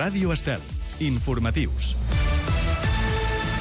Ràdio Estel. Informatius.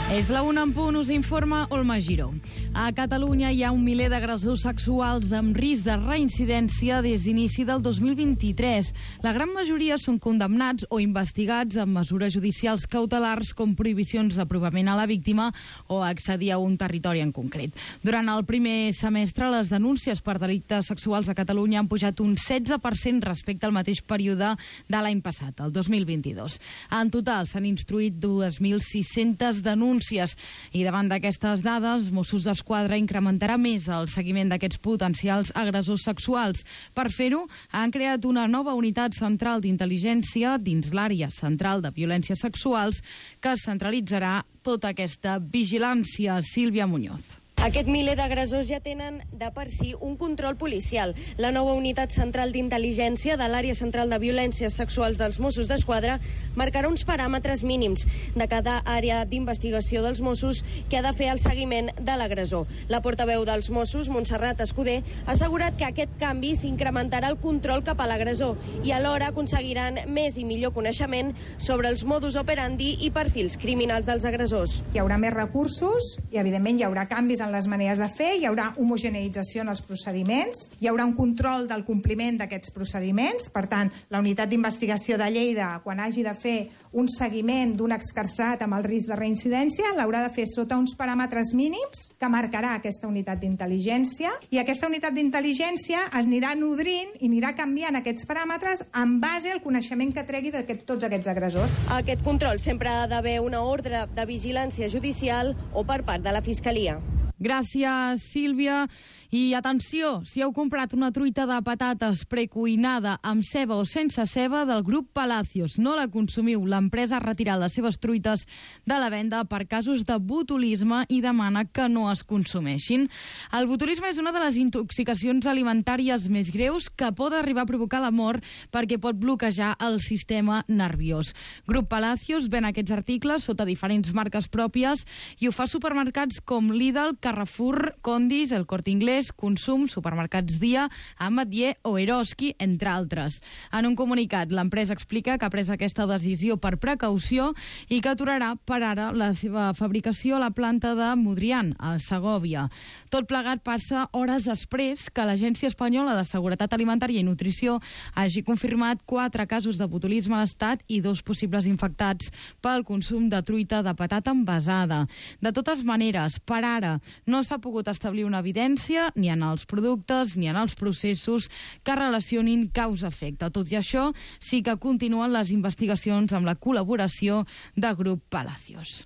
És la 1 en punt, us informa Olma Giró. A Catalunya hi ha un miler d'agressors sexuals amb risc de reincidència des d'inici del 2023. La gran majoria són condemnats o investigats amb mesures judicials cautelars com prohibicions d'aprovament a la víctima o accedir a un territori en concret. Durant el primer semestre, les denúncies per delictes sexuals a Catalunya han pujat un 16% respecte al mateix període de l'any passat, el 2022. En total s'han instruït 2.600 denúncies i davant d'aquestes dades, Mossos d'Esquadra incrementarà més el seguiment d'aquests potencials agressors sexuals. Per fer-ho, han creat una nova unitat central d'intel·ligència dins l'àrea central de violències sexuals que centralitzarà tota aquesta vigilància. Sílvia Muñoz. Aquest miler d'agressors ja tenen de per si un control policial. La nova unitat central d'intel·ligència de l'àrea central de violències sexuals dels Mossos d'Esquadra marcarà uns paràmetres mínims de cada àrea d'investigació dels Mossos que ha de fer el seguiment de l'agressor. La portaveu dels Mossos, Montserrat Escudé, ha assegurat que aquest canvi s'incrementarà el control cap a l'agressor i alhora aconseguiran més i millor coneixement sobre els modus operandi i perfils criminals dels agressors. Hi haurà més recursos i, evidentment, hi haurà canvis en les maneres de fer, hi haurà homogeneïtzació en els procediments, hi haurà un control del compliment d'aquests procediments. Per tant, la unitat d'investigació de Lleida, quan hagi de fer un seguiment d'un excarcerat amb el risc de reincidència, l'haurà de fer sota uns paràmetres mínims que marcarà aquesta unitat d'intel·ligència, i aquesta unitat d'intel·ligència es anirà nodrint i anirà canviant aquests paràmetres en base al coneixement que tregui de tots aquests agressors. Aquest control sempre ha d'haver una ordre de vigilància judicial o per part de la Fiscalia. Gràcies, Sílvia. I atenció, si heu comprat una truita de patates precuinada amb ceba o sense ceba del grup Palacios, no la consumiu. L'empresa ha retirat les seves truites de la venda per casos de botulisme i demana que no es consumeixin. El botulisme és una de les intoxicacions alimentàries més greus que pot arribar a provocar la mort perquè pot bloquejar el sistema nerviós. Grup Palacios ven aquests articles sota diferents marques pròpies i ho fa a supermercats com Lidl, Carrefour, Condis, El Corte Inglés, Consum, Supermercats Dia, Ametller o Eroski, entre altres. En un comunicat, l'empresa explica que ha pres aquesta decisió per precaució i que aturarà per ara la seva fabricació a la planta de Modrián, a Segòvia. Tot plegat passa hores després que l'Agència Espanyola de Seguretat Alimentària i Nutrició hagi confirmat 4 casos de botulisme a l'estat i 2 possibles infectats pel consum de truita de patata envasada. De totes maneres, per ara, no s'ha pogut establir una evidència ni en els productes ni en els processos que relacionin causa-efecte. Tot i això, sí que continuen les investigacions amb la col·laboració de Grup Palacios.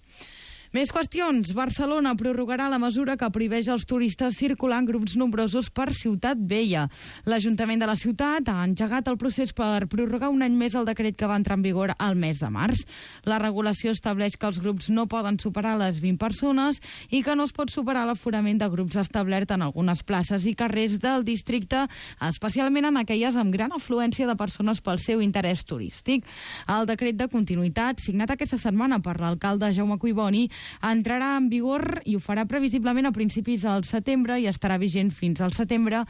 Més qüestions. Barcelona prorrogarà la mesura que prohibeix als turistes circular en grups nombrosos per Ciutat Vella. L'Ajuntament de la ciutat ha engegat el procés per prorrogar un any més el decret que va entrar en vigor al mes de març. La regulació estableix que els grups no poden superar les 20 persones i que no es pot superar l'aforament de grups establert en algunes places i carrers del districte, especialment en aquelles amb gran afluència de persones pel seu interès turístic. El decret de continuïtat, signat aquesta setmana per l'alcalde Jaume Cuiboni, entrarà en vigor i ho farà previsiblement a principis del setembre i estarà vigent fins al setembre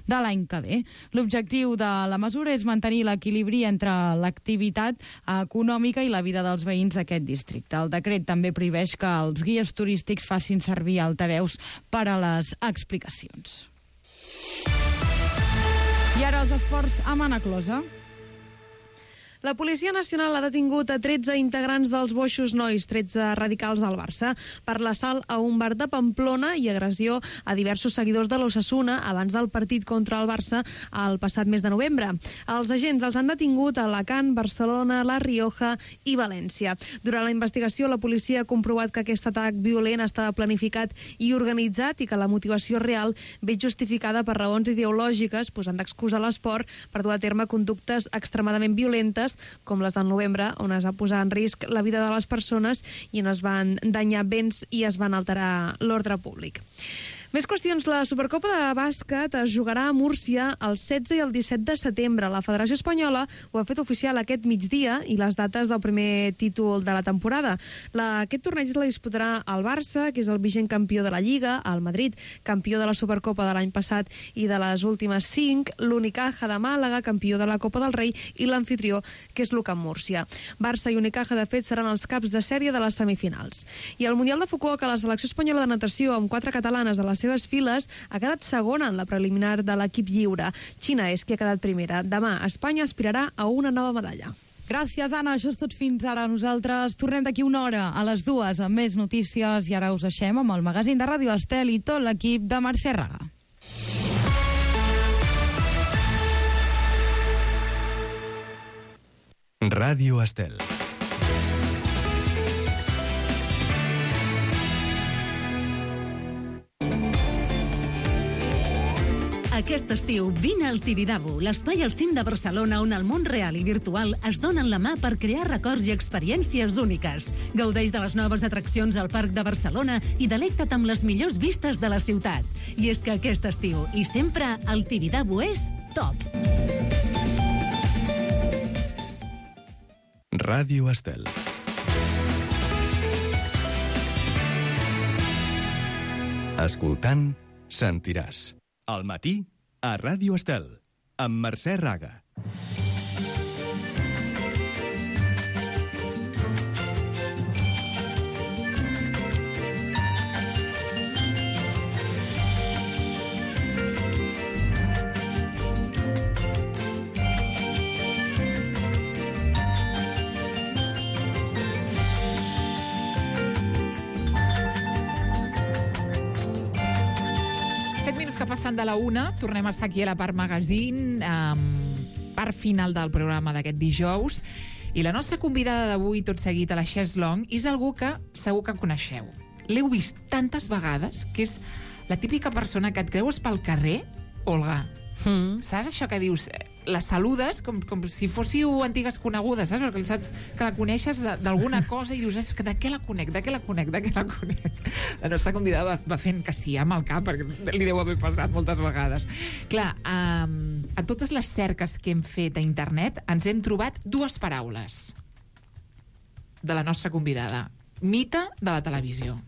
de l'any que ve. L'objectiu de la mesura és mantenir l'equilibri entre l'activitat econòmica i la vida dels veïns d'aquest districte. El decret també prohibeix que els guies turístics facin servir altaveus per a les explicacions. I ara els esports a Manaclosa. La Policia Nacional ha detingut a 13 integrants dels Boixos Nois, 13 radicals del Barça, per l'assalt a un bar de Pamplona i agressió a diversos seguidors de l'Osasuna abans del partit contra el Barça el passat mes de novembre. Els agents els han detingut a Alacant, Barcelona, La Rioja i València. Durant la investigació, la policia ha comprovat que aquest atac violent estava planificat i organitzat i que la motivació real ve justificada per raons ideològiques, posant d'excusa l'esport per dur a terme conductes extremadament violentes com les del novembre, on es va posar en risc la vida de les persones i on es van danyar béns i es van alterar l'ordre públic. Més qüestions. La Supercopa de bàsquet es jugarà a Múrcia el 16 i el 17 de setembre. La Federació Espanyola ho ha fet oficial aquest migdia i les dates del primer títol de la temporada. Aquest torneig la disputarà el Barça, que és el vigent campió de la Lliga, el Madrid, campió de la Supercopa de l'any passat i de les últimes 5, l'Unicaja de Màlaga, campió de la Copa del Rei, i l'anfitrió, que és l'UCAM Múrcia. Barça i Unicaja, de fet, seran els caps de sèrie de les semifinals. I al Mundial de Fukuoka, la selecció espanyola de natació, amb 4 catalanes de les seves files, ha quedat segona en la preliminar de l'equip lliure. Xina és qui ha quedat primera. Demà, Espanya aspirarà a una nova medalla. Gràcies, Anna. Això és tot fins ara. Nosaltres tornem d'aquí una hora a les 2 amb més notícies i ara us deixem amb el magazín de Ràdio Estel i tot l'equip de Mercè Raga. Ràdio Estel. Aquest estiu vine al Tibidabo, l'espai al cim de Barcelona on el món real i virtual es donen la mà per crear records i experiències úniques. Gaudeix de les noves atraccions al Parc de Barcelona i delecta't amb les millors vistes de la ciutat. I és que aquest estiu, i sempre, el Tibidabo és top. Ràdio Estel. Escoltant, sentiràs. Al matí, a Ràdio Estel, amb Mercè Raga. Que passant de la 1, tornem a estar aquí a la part magazine, part final del programa d'aquest dijous, i la nostra convidada d'avui, tot seguit a la Chaise Longue, és algú que segur que coneixeu. L'heu vist tantes vegades que és la típica persona que et creues pel carrer, Olga. Saps això que dius? La saludes com si fóssiu antigues conegudes, saps? Perquè saps que la coneixes d'alguna cosa i dius, de què la conec? La nostra convidada va fent que sí amb el cap, perquè li deu haver passat moltes vegades. Clar, a totes les cerques que hem fet a internet ens hem trobat 2 paraules de la nostra convidada. Mite de la televisió.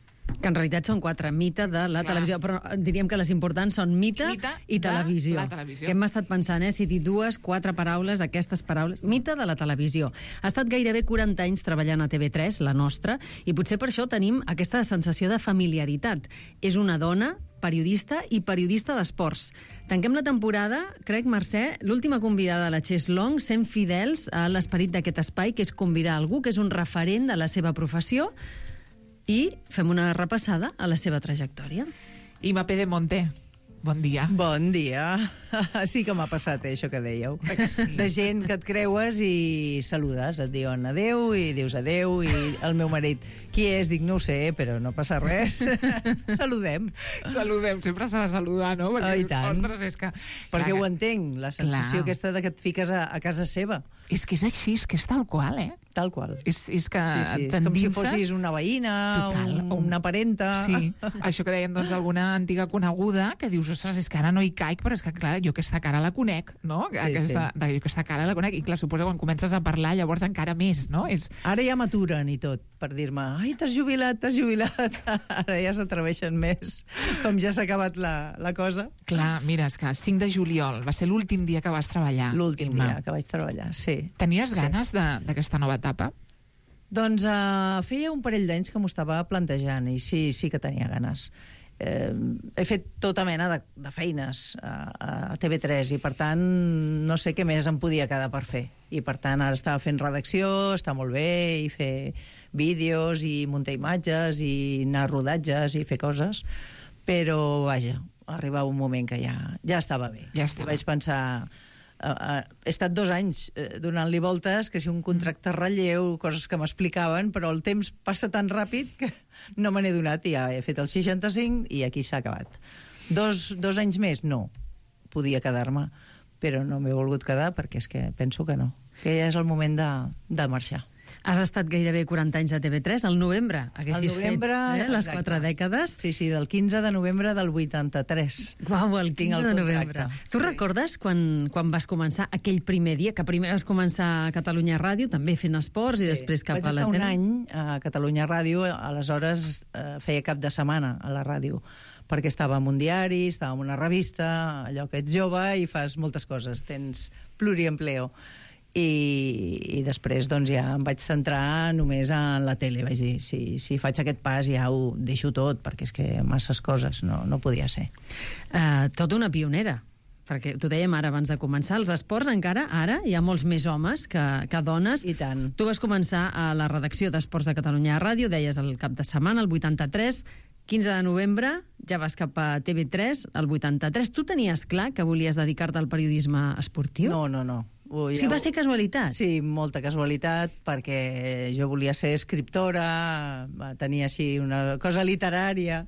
Que en realitat són 4, mite de la televisió, però diríem que les importants són mite i televisió. Que hem estat pensant, si dir 2, 4 paraules, aquestes paraules. Mite de la televisió. Ha estat gairebé 40 anys treballant a TV3, la nostra, i potser per això tenim aquesta sensació de familiaritat. És una dona, periodista i periodista d'esports. Tanquem la temporada, crec, Mercè, l'última convidada de la Chaise Longue, sent fidels a l'esperit d'aquest espai, que és convidar algú que és un referent de la seva professió, i fem una repassada a la seva trajectòria. Ima Pedemonte, bon dia. Bon dia. Sí que m'ha passat, això que dèieu. Sí. De gent que et creues i saludes, et diuen adeu i dius adeu, i el meu marit, qui és? Dic, no ho sé, però no passa res. Saludem. Saludem, sempre s'ha de saludar, no? Perquè, i tant. Ostres, és que... Perquè ho entenc, la sensació aquesta de que et fiques a casa seva. És que és així, és que és tal qual, Tal qual. És que és com si fossis una veïna, una parenta... Sí, això que dèiem, doncs, alguna antiga coneguda que dius, ostres, és que ara no hi caic, però és que, clar, jo aquesta cara la conec, no? Jo aquesta cara la conec, i clar, suposo que quan comences a parlar, llavors encara més, no? Ara ja m'aturen i tot, per dir-me, ai, t'has jubilat. Ara ja s'atreveixen més, com ja s'ha acabat la cosa. Clar, mira, és que 5 de juliol va ser l'últim dia que vas treballar. L'últim dia que vaig treballar, sí. Tenies ganes d'aquesta nova etapa? Doncs feia un parell d'anys que m'ho estava plantejant i sí que tenia ganes. He fet tota mena de feines a TV3 i per tant no sé què més em podia quedar per fer, i per tant ara estava fent redacció, està molt bé, i fer vídeos i muntar imatges i anar a rodatges i fer coses, però vaja, arribava un moment que ja estava bé. Ja estava. I vaig pensar, he estat 2 anys donant-li voltes, que si un contracte relleu, coses que m'explicaven, però el temps passa tan ràpid que no me n'he donat, i ja he fet el 65 i aquí s'ha acabat. 2 anys més? No. Podia quedar-me, però no m'he volgut quedar perquè és que penso que no, que ja és el moment de marxar. Has estat gairebé 40 anys a TV3, al novembre. Haguessis fet les 4 dècades. Sí, del 15 de novembre del 83. Uau, el 15 de novembre. Tu recordes quan vas començar aquell primer dia, que primer vas començar a Catalunya Ràdio, també fent esports, i després cap a la tele? Vaig estar un any a Catalunya Ràdio, aleshores feia cap de setmana a la ràdio, perquè estava en un diari, estava en una revista, allò que ets jove i fas moltes coses, tens pluriempleo. I després doncs, ja em vaig centrar només en la tele. Vaig dir, si faig aquest pas ja ho deixo tot, perquè és que masses coses no podia ser. Tota una pionera, perquè t'ho dèiem ara abans de començar, els esports encara, ara, hi ha molts més homes que dones. I tant. Tu vas començar a la redacció d'Esports de Catalunya Ràdio, deies el cap de setmana, el 83, 15 de novembre, ja vas cap a TV3, el 83. Tu tenies clar que volies dedicar-te al periodisme esportiu? No. Sí, va ser casualitat? Sí, molta casualitat, perquè jo volia ser escriptora, tenia així una cosa literària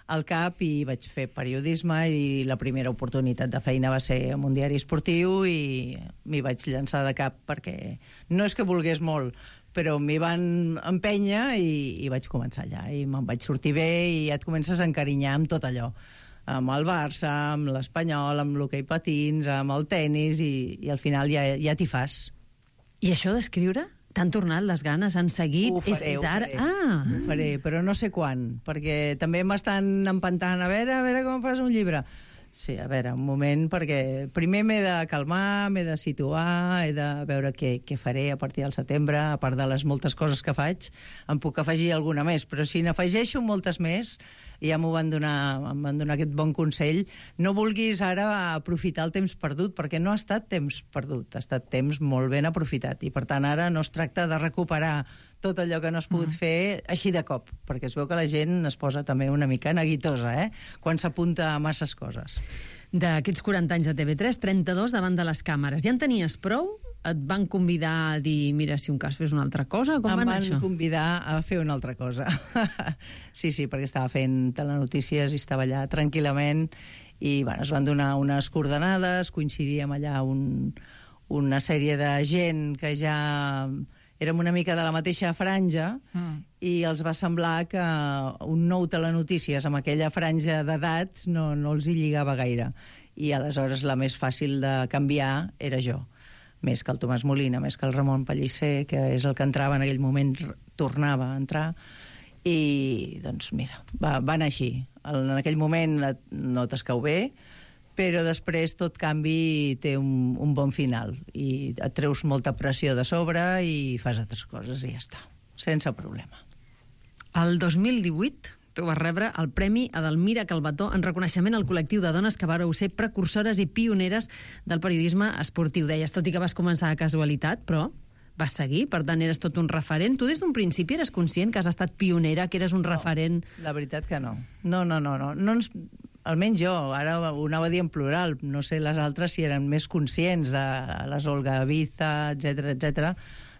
al cap i vaig fer periodisme i la primera oportunitat de feina va ser en un diari esportiu i m'hi vaig llançar de cap perquè no és que volgués molt, però m'hi van empènyer i vaig començar allà i me'n vaig sortir bé i ja et comences a encarinyar amb tot allò, amb el Barça, amb l'Espanyol, amb l'hoquei patins, amb el tennis i al final ja t'hi fas. I això d'escriure? T'han tornat les ganes? Han seguit? Ho faré, però no sé quan, perquè també m'estan empantant a veure com fas un llibre. Sí, a veure, un moment, perquè primer m'he de calmar, m'he de situar, he de veure què faré a partir del setembre, a part de les moltes coses que faig, em puc afegir alguna més, però si n'afegeixo moltes més, ja em van donar aquest bon consell, no vulguis ara aprofitar el temps perdut, perquè no ha estat temps perdut, ha estat temps molt ben aprofitat, i per tant ara no es tracta de recuperar tot allò que no has pogut fer així de cop, perquè es veu que la gent es posa també una mica neguitosa, quan s'apunta a masses coses. D'aquests 40 anys a TV3, 32 davant de les càmeres. Ja en tenies prou? Et van convidar a dir, mira, si un cas fes una altra cosa? Com va anar això? Em van convidar a fer una altra cosa. Sí, perquè estava fent telenotícies i estava allà tranquil·lament i es van donar unes coordenades, coincidíem allà una sèrie de gent que ja érem una mica de la mateixa franja i els va semblar que un nou telenotícies amb aquella franja d'edats no els hi lligava gaire. I aleshores la més fàcil de canviar era jo, més que el Tomàs Molina, més que el Ramon Pellicer, que és el que entrava en aquell moment, tornava a entrar, i doncs mira, va anar així. En aquell moment no t'escau bé, però després tot canvi té un bon final i et treus molta pressió de sobre i fas altres coses i ja està, sense problema. El 2018 tu vas rebre el Premi Edelmira Calvetó en reconeixement al col·lectiu de dones que vareu ser precursores i pioneres del periodisme esportiu. Deies, tot i que vas començar a casualitat, però vas seguir, per tant eres tot un referent. Tu des d'un principi eres conscient que has estat pionera, que eres un referent? La veritat que no. No almenys jo, ara ho anava a dir en plural, no sé les altres si eren més conscients de les Olga Biza, etc,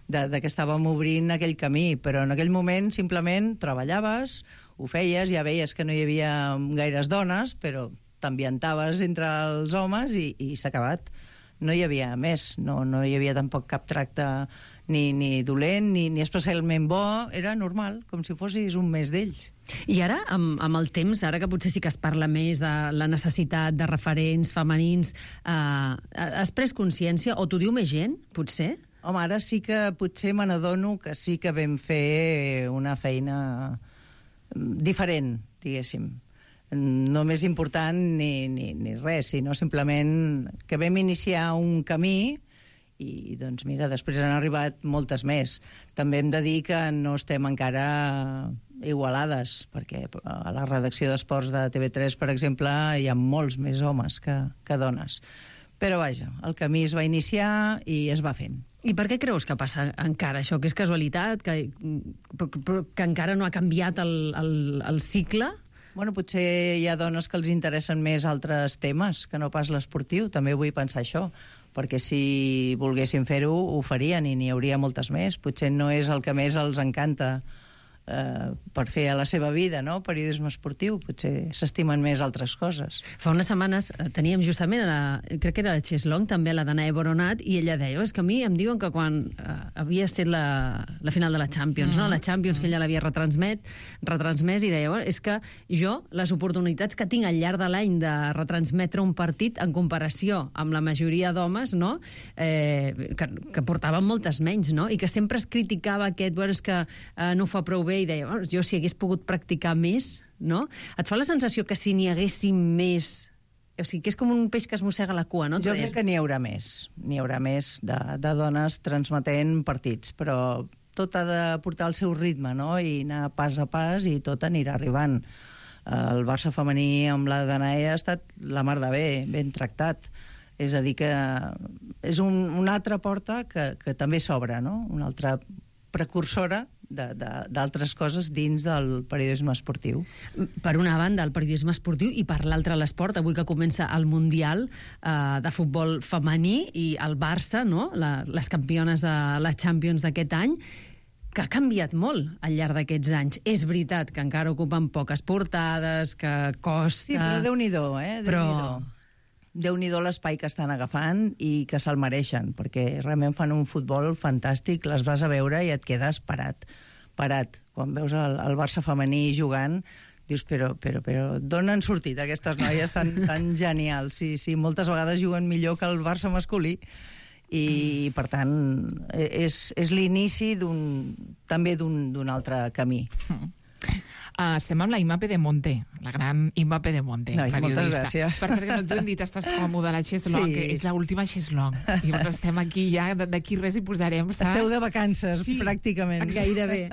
de que estàvem obrint aquell camí, però en aquell moment simplement treballaves, ho feies, ja veies que no hi havia gaires dones, però t'ambientaves entre els homes i s'ha acabat. No hi havia més, no hi havia tampoc cap tracte ni dolent, ni especialment bo, era normal, com si fossis un més d'ells. I ara, amb el temps, ara que potser sí que es parla més de la necessitat de referents femenins, has pres consciència, o t'ho diu més gent, potser? Home, ara sí que potser me n'adono que sí que vam fer una feina diferent, diguéssim. No més important ni res, sinó simplement que vam iniciar un camí i, doncs, mira, després han arribat moltes més. També hem de dir que no estem encara igualades, perquè a la redacció d'esports de TV3, per exemple, hi ha molts més homes que dones. Però, vaja, el camí es va iniciar i es va fent. I per què creus que passa encara això? Que és casualitat? Que encara no ha canviat el cicle? Bueno, potser hi ha dones que els interessen més altres temes que no pas l'esportiu. També vull pensar això, perquè si volguessin fer-ho, ho farien i n'hi hauria moltes més. Potser no és el que més els encanta per fer a la seva vida, no? Periodisme esportiu, potser s'estimen més altres coses. Fa unes setmanes teníem justament, crec que era la Cheslong, també la Danae Boronat, i ella deia, és que a mi em diuen que quan havia estat la final de la Champions, no? La Champions, que ella l'havia retransmès, i deia, és que jo, les oportunitats que tinc al llarg de l'any de retransmetre un partit en comparació amb la majoria d'homes, no? Que portaven moltes menys, no? I que sempre es criticava aquest, és que no ho fa prou bé, i deia, jo si hagués pogut practicar més, no? Et fa la sensació que si n'hi haguéssim més... O sigui, que és com un peix que es mossega la cua, no? Jo crec que n'hi haurà més. N'hi haurà més de dones transmetent partits, però tot ha de portar el seu ritme, no? I anar pas a pas i tot anirà arribant. El Barça femení amb la Danae ha estat la mar de bé, ben tractat. És a dir, que és una altra porta que també s'obre, no? Una altra precursora d'altres coses dins del periodisme esportiu. Per una banda, el periodisme esportiu, i per l'altra, l'esport. Avui que comença el Mundial de futbol femení i el Barça, no? Les campiones de la Champions d'aquest any, que ha canviat molt al llarg d'aquests anys. És veritat que encara ocupen poques portades, que costa... Sí, però Déu-n'hi-do, Déu-n'hi-do. Déu-n'hi-do l'espai que estan agafant i que se'l mereixen, perquè realment fan un futbol fantàstic, les vas a veure i et quedes parat. Quan veus el Barça femení jugant, dius, però d'on han sortit aquestes noies tan genials? Sí, moltes vegades juguen millor que el Barça masculí, i per tant és l'inici també d'un altre camí. Estem amb la Imma Pedemonte, la gran Imma Pedemonte, periodista. Moltes gràcies. Per cert, que no t'ho hem dit, estàs còmode a la Cheslong, que és l'última Cheslong. I llavors estem aquí ja, d'aquí res hi posarem, saps? Esteu de vacances, pràcticament. Gairebé.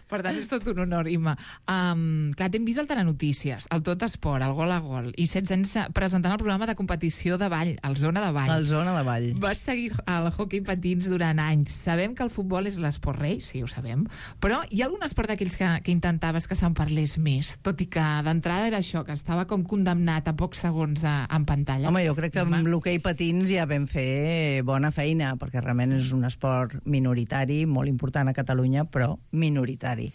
Per tant, és tot un honor, Imma. Clar, t'hem vist al Telenotícies, al Tot Esport, al Gol a Gol, i 16 anys presentant el programa de competició de ball, el Zona de Ball. El Zona de Ball. Vas seguir el hoquei patins durant anys. Sabem que el futbol és l'esport rei, sí, ho sabem, però hi ha algun esport d'aquells que intentaves que se'n parlés més, tot i que d'entrada era això, que estava com condemnat a pocs segons en pantalla? Home, jo crec que amb l'hoquei patins ja vam fer bona feina, perquè realment és un esport minoritari, molt important a Catalunya, però minoritari.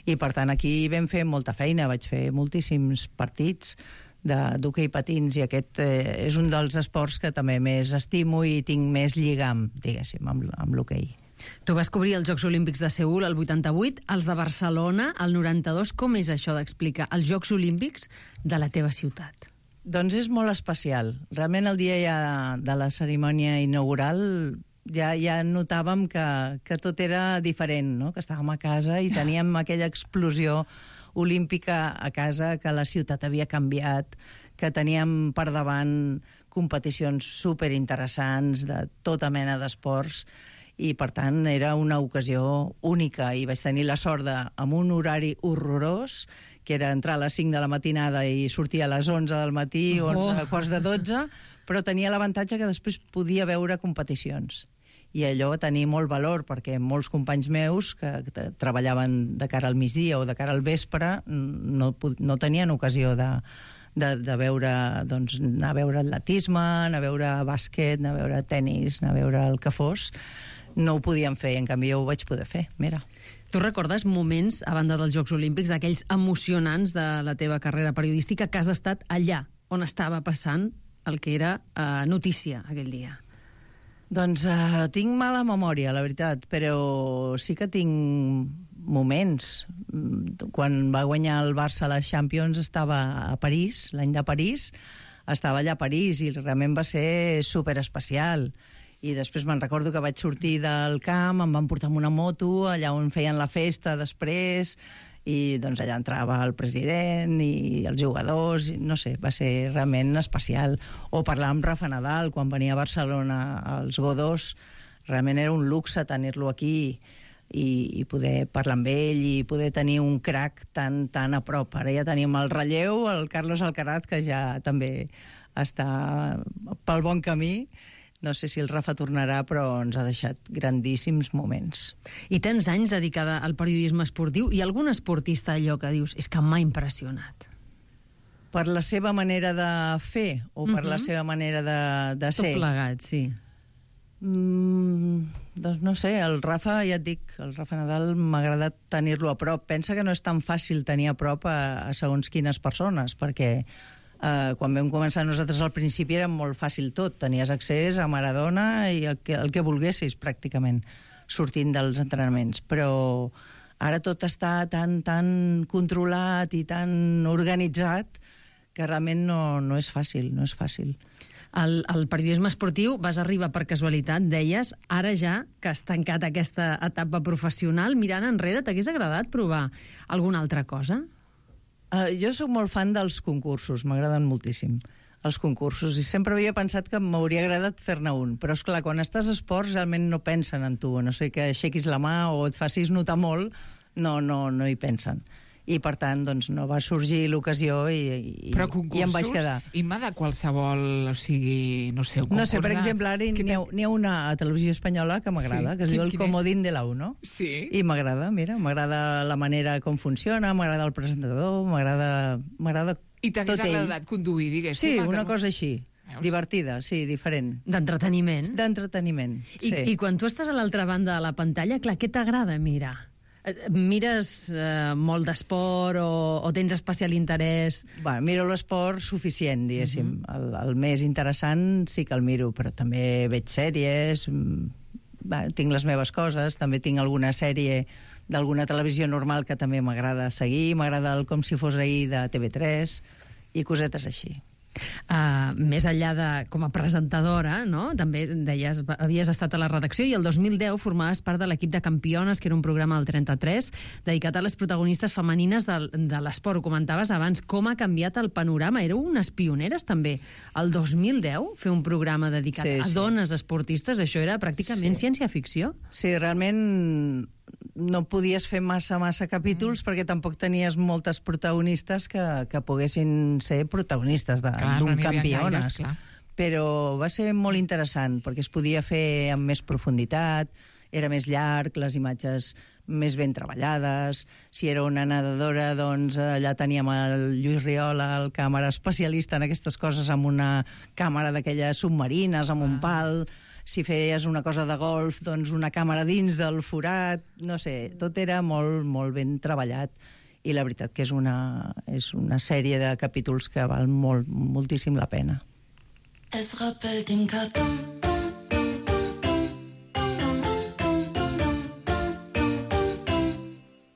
I per tant aquí vam fer molta feina, vaig fer moltíssims partits d'hoquei patins, i aquest és un dels esports que també més estimo i tinc més lligam, diguéssim, amb l'hoquei. Tu vas cobrir els Jocs Olímpics de Seül el 88, els de Barcelona el 92. Com és això d'explicar els Jocs Olímpics de la teva ciutat? Doncs és molt especial. Realment el dia ja de la cerimònia inaugural ja notàvem que tot era diferent, no? Que estàvem a casa i teníem aquella explosió olímpica a casa, que la ciutat havia canviat, que teníem per davant competicions superinteressants de tota mena d'esports, i per tant era una ocasió única, i vaig tenir la sort amb un horari horrorós, que era entrar a les 5 de la matinada i sortir a les 11 del matí, 11, quarts de 12, però tenia l'avantatge que després podia veure competicions. I allò va tenir molt valor, perquè molts companys meus que treballaven de cara al migdia o de cara al vespre no tenien ocasió de veure, doncs, anar a veure atletisme, anar a veure bàsquet, anar a veure tennis, anar a veure el que fos. No ho podíem fer, en canvi jo ho vaig poder fer, mira. Tu recordes moments, a banda dels Jocs Olímpics, aquells emocionants de la teva carrera periodística, que has estat allà on estava passant el que era notícia aquell dia? Doncs tinc mala memòria, la veritat, però sí que tinc moments. Quan va guanyar el Barça a la Champions estava a París, l'any de París, estava allà a París, i realment va ser superespecial. I després me'n recordo que vaig sortir del camp, em van portar amb una moto, allà on feien la festa després, i doncs allà entrava el president i els jugadors, i no sé, va ser realment especial. O parlar amb Rafa Nadal quan venia a Barcelona als Godós, realment era un luxe tenir-lo aquí i poder parlar amb ell i poder tenir un crac tan a prop. Ara ja tenim el relleu, el Carlos Alcaraz, que ja també està pel bon camí. No sé si el Rafa tornarà, però ens ha deixat grandíssims moments. I tants anys dedicada al periodisme esportiu, i algun esportista allò que dius és que m'ha impressionat? Per la seva manera de fer o per la seva manera de ser? Tot plegat, sí. Doncs no sé, el Rafa, ja et dic, el Rafa Nadal m'ha agradat tenir-lo a prop. Pensa que no és tan fàcil tenir a prop a segons quines persones, perquè quan vam començar nosaltres al principi era molt fàcil tot. Tenies accés a Maradona i el que volguessis, pràcticament, sortint dels entrenaments. Però ara tot està tan controlat i tan organitzat que realment no és fàcil, no és fàcil. El periodisme esportiu vas arribar per casualitat, deies, ara ja que has tancat aquesta etapa professional, mirant enrere, t'hagués agradat provar alguna altra cosa? Jo sóc molt fan dels concursos, m'agraden moltíssim els concursos, i sempre havia pensat que m'hauria agradat fer-ne un, però esclar, quan estàs a esports realment no pensen en tu, a no sé que aixequis la mà o et facis notar molt, no hi pensen. I per tant, doncs, no va sorgir l'ocasió i em vaig quedar. Imma, de qualsevol, o sigui, no sé, un concurs... No sé, per exemple, ara n'hi ha una a Televisió Espanyola que m'agrada, que es diu El Comodín de l'U1. Sí. I m'agrada, mira, m'agrada la manera com funciona, m'agrada el presentador, m'agrada I t'hagués agradat conduir, diguéssim? Sí, una cosa així. Divertida, sí, diferent. D'entreteniment? D'entreteniment, sí. I quan tu estàs a l'altra banda de la pantalla, clar, què t'agrada mirar? Mires molt d'esport o tens especial interès? Miro l'esport suficient, diguéssim. El més interessant sí que el miro, però també veig sèries, tinc les meves coses, també tinc alguna sèrie d'alguna televisió normal que també m'agrada seguir, m'agrada el Com si fos ahir de TV3 i cosetes així. Més enllà de com a presentadora, no? També deies, havies estat a la redacció i el 2010 formaves part de l'equip de Campiones, que era un programa del 33 dedicat a les protagonistes femenines de l'esport. Ho comentaves abans, com ha canviat el panorama. Éreu unes pioneres també. El 2010 fer un programa dedicat a dones esportistes, això era pràcticament ciència-ficció. Sí, realment no podies fer massa capítols perquè tampoc tenies moltes protagonistes que poguessin ser protagonistes d'un Campiones. Però va ser molt interessant perquè es podia fer amb més profunditat, era més llarg, les imatges més ben treballades. Si era una nedadora, doncs allà teníem el Lluís Riola, el càmera especialista en aquestes coses, amb una càmera d'aquelles submarines, amb un pal. Si feies una cosa de golf, doncs una càmera dins del forat, no sé, tot era molt, molt ben treballat. I la veritat que és una sèrie de capítols que val moltíssim la pena. Es rappelle den carton.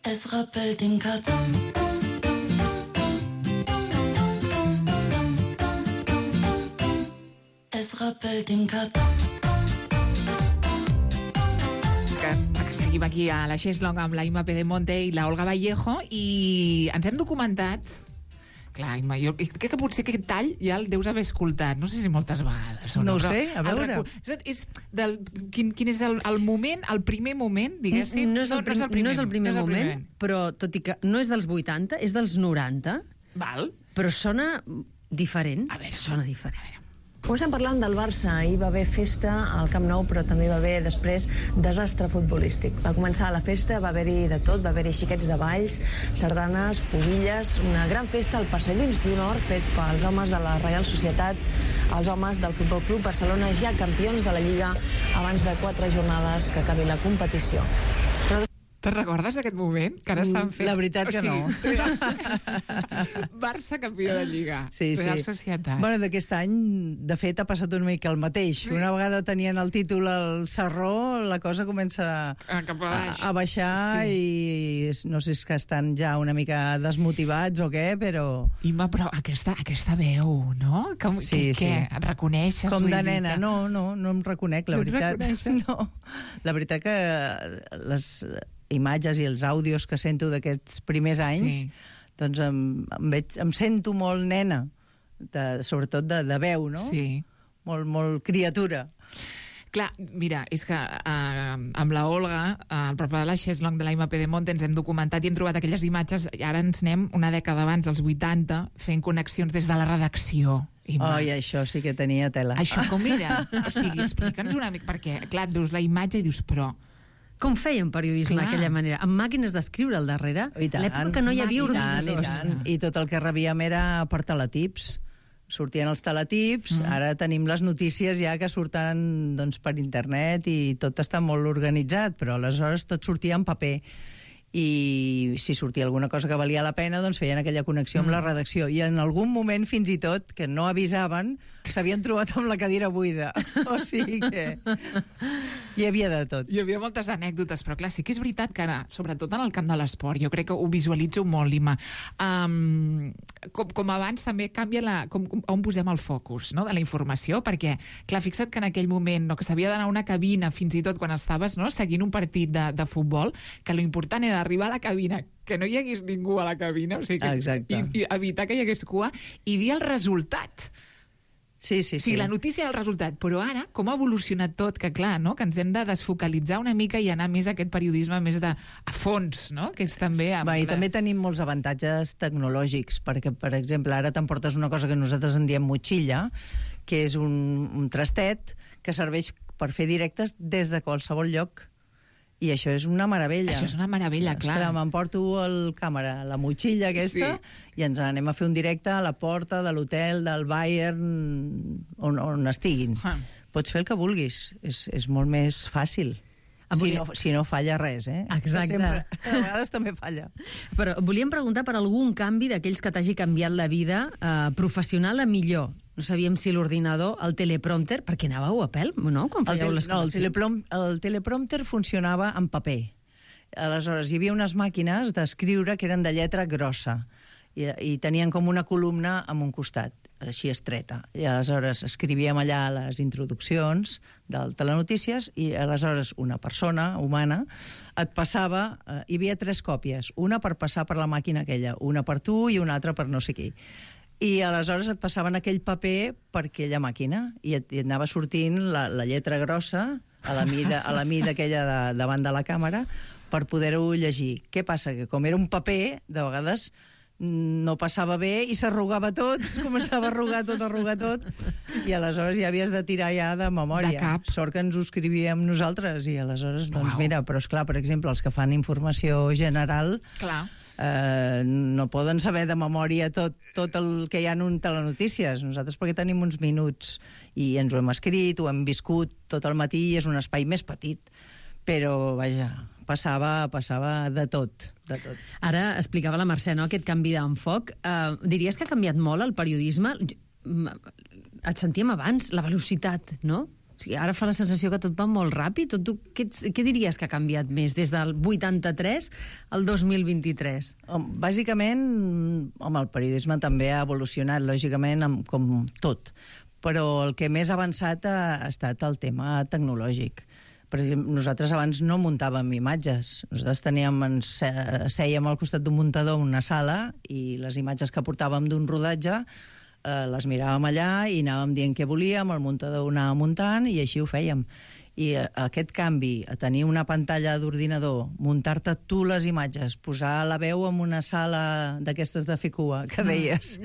Es rappelle den carton. Es rappelle den carton. Que seguim aquí a la Xeslong amb la Imma Pedemonte i la Olga Vallejo i ens hem documentat. Clar, Imma, jo crec que potser aquest tall ja el deus haver escoltat, no sé si moltes vegades o no. No ho sé, a veure. Quin és el moment, el primer moment, diguéssim? No és el primer moment, però tot i que no és dels 80, és dels 90. Val. Però sona diferent. A veure, sona diferent. Comencem parlant del Barça. Ahir va haver festa al Camp Nou, però també va haver després desastre futbolístic. Va començar la festa, va haver-hi de tot, va haver-hi xiquets de balls, sardanes, pubilles, una gran festa al Passadís d'Honor fet pels homes de la Reial Societat, els homes del Futbol Club Barcelona, ja campions de la Lliga abans de 4 jornades que acabi la competició. Te'n recordes d'aquest moment? Que ara estan fent... La veritat que no. Barça campió de Lliga. Sí. Real Societat. Bueno, d'aquest any, de fet, ha passat una mica el mateix. Sí. Una vegada tenien el títol al Sarró, la cosa comença a baixar i no sé si que estan ja una mica desmotivats o què, però... Imma, però aquesta veu, no? Sí. Què? Et reconeixes? Com de nena. No em reconec, la veritat. No. La veritat que les imatges i els àudios que sento d'aquests primers anys, doncs em sento molt nena, sobretot de veu, no? Sí. Molt criatura. Clar, mira, és que amb la Olga, al preparar la Xeslong de la Imma Pedemonte, ens hem documentat i hem trobat aquelles imatges, i ara ens anem una dècada abans, als 80, fent connexions des de la redacció. Oi, això sí que tenia tela. Això com era? O sigui, explica'ns una mica, perquè, clar, et veus la imatge i dius, però... Com feien periodisme d'aquella manera? Amb màquines d'escriure al darrere? L'època que no hi havia ordinadors. I tot el que rebíem era per teletips. sortien els teletips, ara tenim les notícies ja que surten doncs, per internet i tot està molt organitzat, però aleshores tot sortia en paper. I si sortia alguna cosa que valia la pena, doncs feien aquella connexió amb la redacció. I en algun moment, fins i tot, que no avisaven, s'havien trobat amb la cadira buida. O sigui que hi havia de tot. Hi havia moltes anècdotes, però clar, sí que és veritat que ara, sobretot en el camp de l'esport, jo crec que ho visualitzo molt, Lima. Com abans també canvia on posem el focus, no?, de la informació, perquè, clar, fixa't que en aquell moment, no, que s'havia d'anar a una cabina, fins i tot quan estaves, no, seguint un partit de futbol, que l'important era arribar a la cabina, que no hi hagués ningú a la cabina, o sigui, i evitar que hi hagués cua, i dir el resultat. Sí. O sigui, la notícia del resultat. Però ara, com ha evolucionat tot, que clar, no?, que ens hem de desfocalitzar una mica i anar més a aquest periodisme més a fons, no?, que és també... I també tenim molts avantatges tecnològics, perquè, per exemple, ara t'emportes una cosa que nosaltres en diem motxilla, que és un trastet que serveix per fer directes des de qualsevol lloc. I això és una meravella. Això és una meravella, clar. Esclar, m'emporto la motxilla aquesta, i ens anem a fer un directe a la porta de l'hotel del Bayern, on estiguin. Pots fer el que vulguis. És molt més fàcil. Si no falla res, Exacte. A vegades també falla. Però volíem preguntar per algun canvi d'aquells que t'hagi canviat la vida professional a millor. No sabíem si l'ordinador, el teleprompter, perquè anàveu a pèl, no?, quan fèieu les connexions. El teleprompter funcionava en paper. Aleshores, hi havia unes màquines d'escriure que eren de lletra grossa i tenien com una columna en un costat, així estreta. I aleshores escrivíem allà les introduccions del telenotícies i aleshores una persona humana et passava... hi havia 3 còpies, una per passar per la màquina aquella, una per tu i una altra per no sé qui. I aleshores et passaven aquell paper per aquella màquina i et anava sortint la lletra grossa a la mida aquella davant de la càmera per poder-ho llegir. Què passa? Que com era un paper, de vegades no passava bé i s'arrugava tot, es començava a arrugar tot, i aleshores ja havies de tirar ja de memòria. De cap. Sort que ens ho escrivíem nosaltres, i aleshores, doncs mira, però esclar, per exemple, els que fan informació general... Clar. No poden saber de memòria tot el que hi ha en un telenotícies. Nosaltres perquè tenim uns minuts i ens ho hem escrit, ho hem viscut tot el matí i és un espai més petit. Però, vaja, passava de tot. Ara explicava la Mercè, no?, aquest canvi d'enfoc. Diries que ha canviat molt el periodisme? Et sentíem abans, la velocitat, no? O sigui, ara fa la sensació que tot va molt ràpid. Què diries que ha canviat més des del 83 al 2023? Bàsicament, el periodisme també ha evolucionat, lògicament, com tot. Però el que més ha avançat ha estat el tema tecnològic. Per exemple, nosaltres abans no muntàvem imatges. Nosaltres sèiem al costat d'un muntador en una sala i les imatges que portàvem d'un rodatge les miràvem allà i anàvem dient què volíem, el muntador ho anava muntant i així ho fèiem. I aquest canvi, a tenir una pantalla d'ordinador, muntar-te tu les imatges, posar la veu en una sala d'aquestes de fer cua, que deies,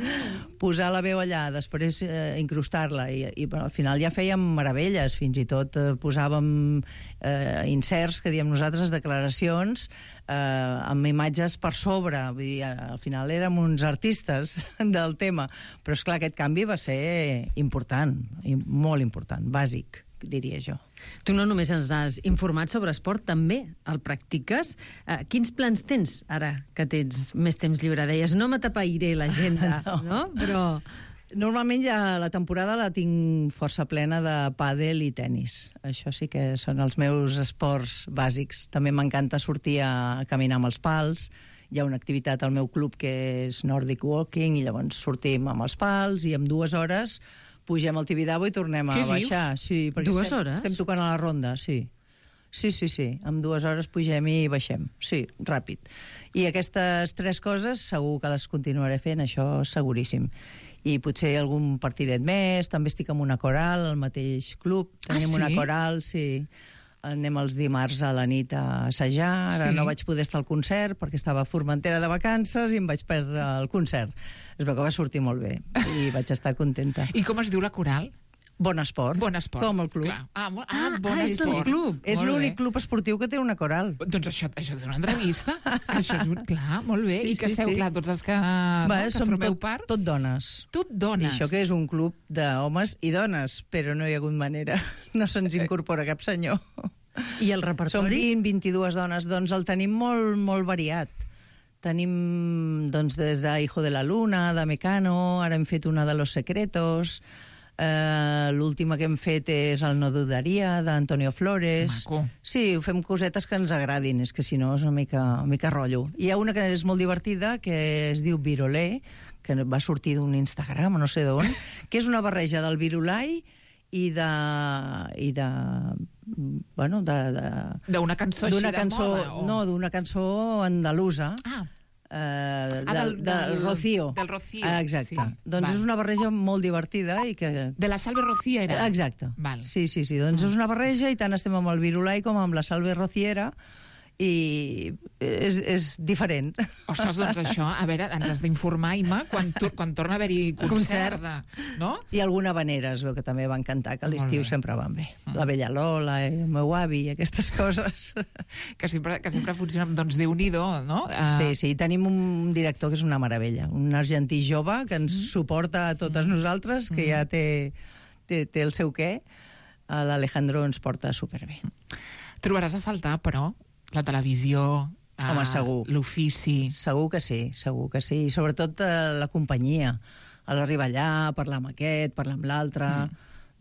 posar la veu allà, després incrustar-la, i al final ja fèiem meravelles, fins i tot posàvem inserts, que diem nosaltres, declaracions, amb imatges per sobre. Vull dir, al final érem uns artistes del tema, però esclar, aquest canvi va ser important, molt important, bàsic, diria jo. Tu no només ens has informat sobre esport, també el practiques. Quins plans tens ara que tens més temps lliure? Deies, no m'atapeiré l'agenda, no? Però... Normalment ja la temporada la tinc força plena de pàdel i tenis. Això sí que són els meus esports bàsics. També m'encanta sortir a caminar amb els pals. Hi ha una activitat al meu club que és Nordic Walking i llavors sortim amb els pals i en 2 hores pugem al Tibidabo i tornem a baixar. Sí, perquè 2 hores? Estem tocant a la ronda, sí. Sí. En 2 hores pugem i baixem. Sí, ràpid. I aquestes 3 coses segur que les continuaré fent, això seguríssim. I potser algun partidet més, també estic amb una coral al mateix club. Tenim una coral, sí. Anem els dimarts a la nit a assajar. Ara no vaig poder estar al concert perquè estava a Formentera de vacances i em vaig perdre el concert. Es veu que va sortir molt bé i vaig estar contenta. I com es diu la coral? Bon Esport. Bon Esport. Com el club. Bon és el club. És l'únic club esportiu que té una coral. Doncs això és una entrevista. Això és clar, molt bé. I que sou, clar, tots els que formeu part. Tot dones. Tot dones. I això que és un club d'homes i dones, però no hi ha hagut manera. No se'ns incorpora cap senyor. I el repertori? Som 20-22 dones, doncs el tenim molt, molt variat. Tenim, doncs, des de Hijo de la Luna, de Mecano, ara hem fet una de Los Secretos, l'última que hem fet és El no dudaria, d'Antonio Flores. Maco. Sí, fem cosetes que ens agradin, és que si no és una mica rotllo. Hi ha una que és molt divertida, que es diu Virolé, que va sortir d'un Instagram, no sé d'on, que és una barreja del virulai i de d'una cançó així de moda? No, d'una cançó andalusa. Del Rocío. Del Rocío. Exacte. Doncs és una barreja molt divertida i que... De la Salve Rociera. Exacte. Sí. Doncs és una barreja i tant estem amb el virulai com amb la Salve Rociera i és diferent. Ostres, doncs això, a veure, ens has d'informar, Imma, quan torna a haver-hi concert. No? I alguna vanera, es veu que també van cantar, que a l'estiu sempre van bé. La Bella Lola, el meu avi, aquestes coses. Que sempre funcionen, doncs, Déu-n'hi-do, no? Sí, tenim un director que és una meravella, un argentí jove que ens suporta a totes nosaltres, que ja té el seu què. L'Alejandro ens porta superbé. Trobaràs a faltar, però, la televisió, l'ofici... Segur que sí. I sobretot la companyia. A l'arribar allà, parlar amb aquest, parlar amb l'altre,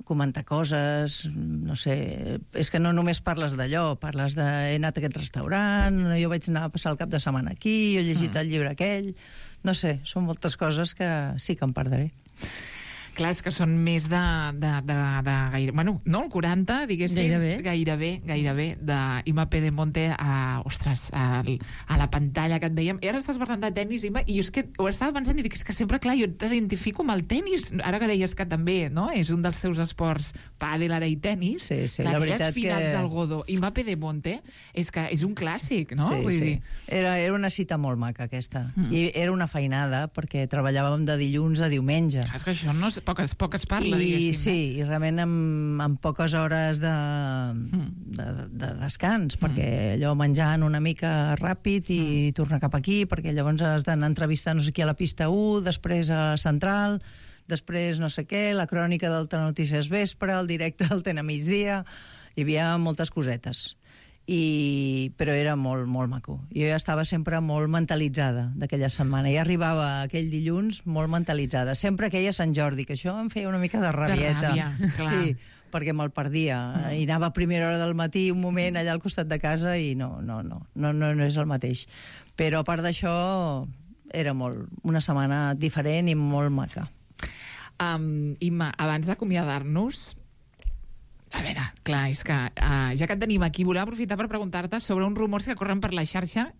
comentar coses, no sé... És que no només parles d'allò, parles de he anat a aquest restaurant, jo vaig anar a passar el cap de setmana aquí, jo he llegit el llibre aquell... No sé, són moltes coses que sí que em perdré. Clar, és que són més de gairebé... Bueno, no, el 40, diguéssim. Gairebé, d'Imma Pedemonte a la pantalla que et veiem. I ara estàs parlant de tenis, Imma, i jo és que ho estava pensant i dic, és que sempre, clar, jo t'identifico amb el tenis. Ara que deies que també, no?, és un dels teus esports, pàdel, ara i tenis. Sí, la veritat que... finals del Godó. Imma Pedemonte és que és un clàssic, no? Sí. Era una cita molt maca, aquesta. I era una feinada, perquè treballàvem de dilluns a diumenge. És que això no és poques parla, diguéssim. Sí, i realment amb poques hores de descans, perquè allò menjant una mica ràpid i tornar cap aquí, perquè llavors has d'anar a entrevistar no sé qui a la pista 1, després a Central, després no sé què, la crònica del Telenotícies Vespre, el directe del Tena Migdia, hi havia moltes cosetes. Però era molt, molt maco. Jo ja estava sempre molt mentalitzada d'aquella setmana. Ja arribava aquell dilluns molt mentalitzada. Sempre que a Sant Jordi, que això em feia una mica de rabieta. De ràbia, clar. Sí, perquè me'l perdia. I anava a primera hora del matí, un moment allà al costat de casa, i no és el mateix. Però a part d'això, era una setmana diferent i molt maca. Imma, abans d'acomiadar-nos, a veure, clar, és que ja que et tenim aquí, volem aprofitar per preguntar-te sobre uns rumors que corren per la xarxa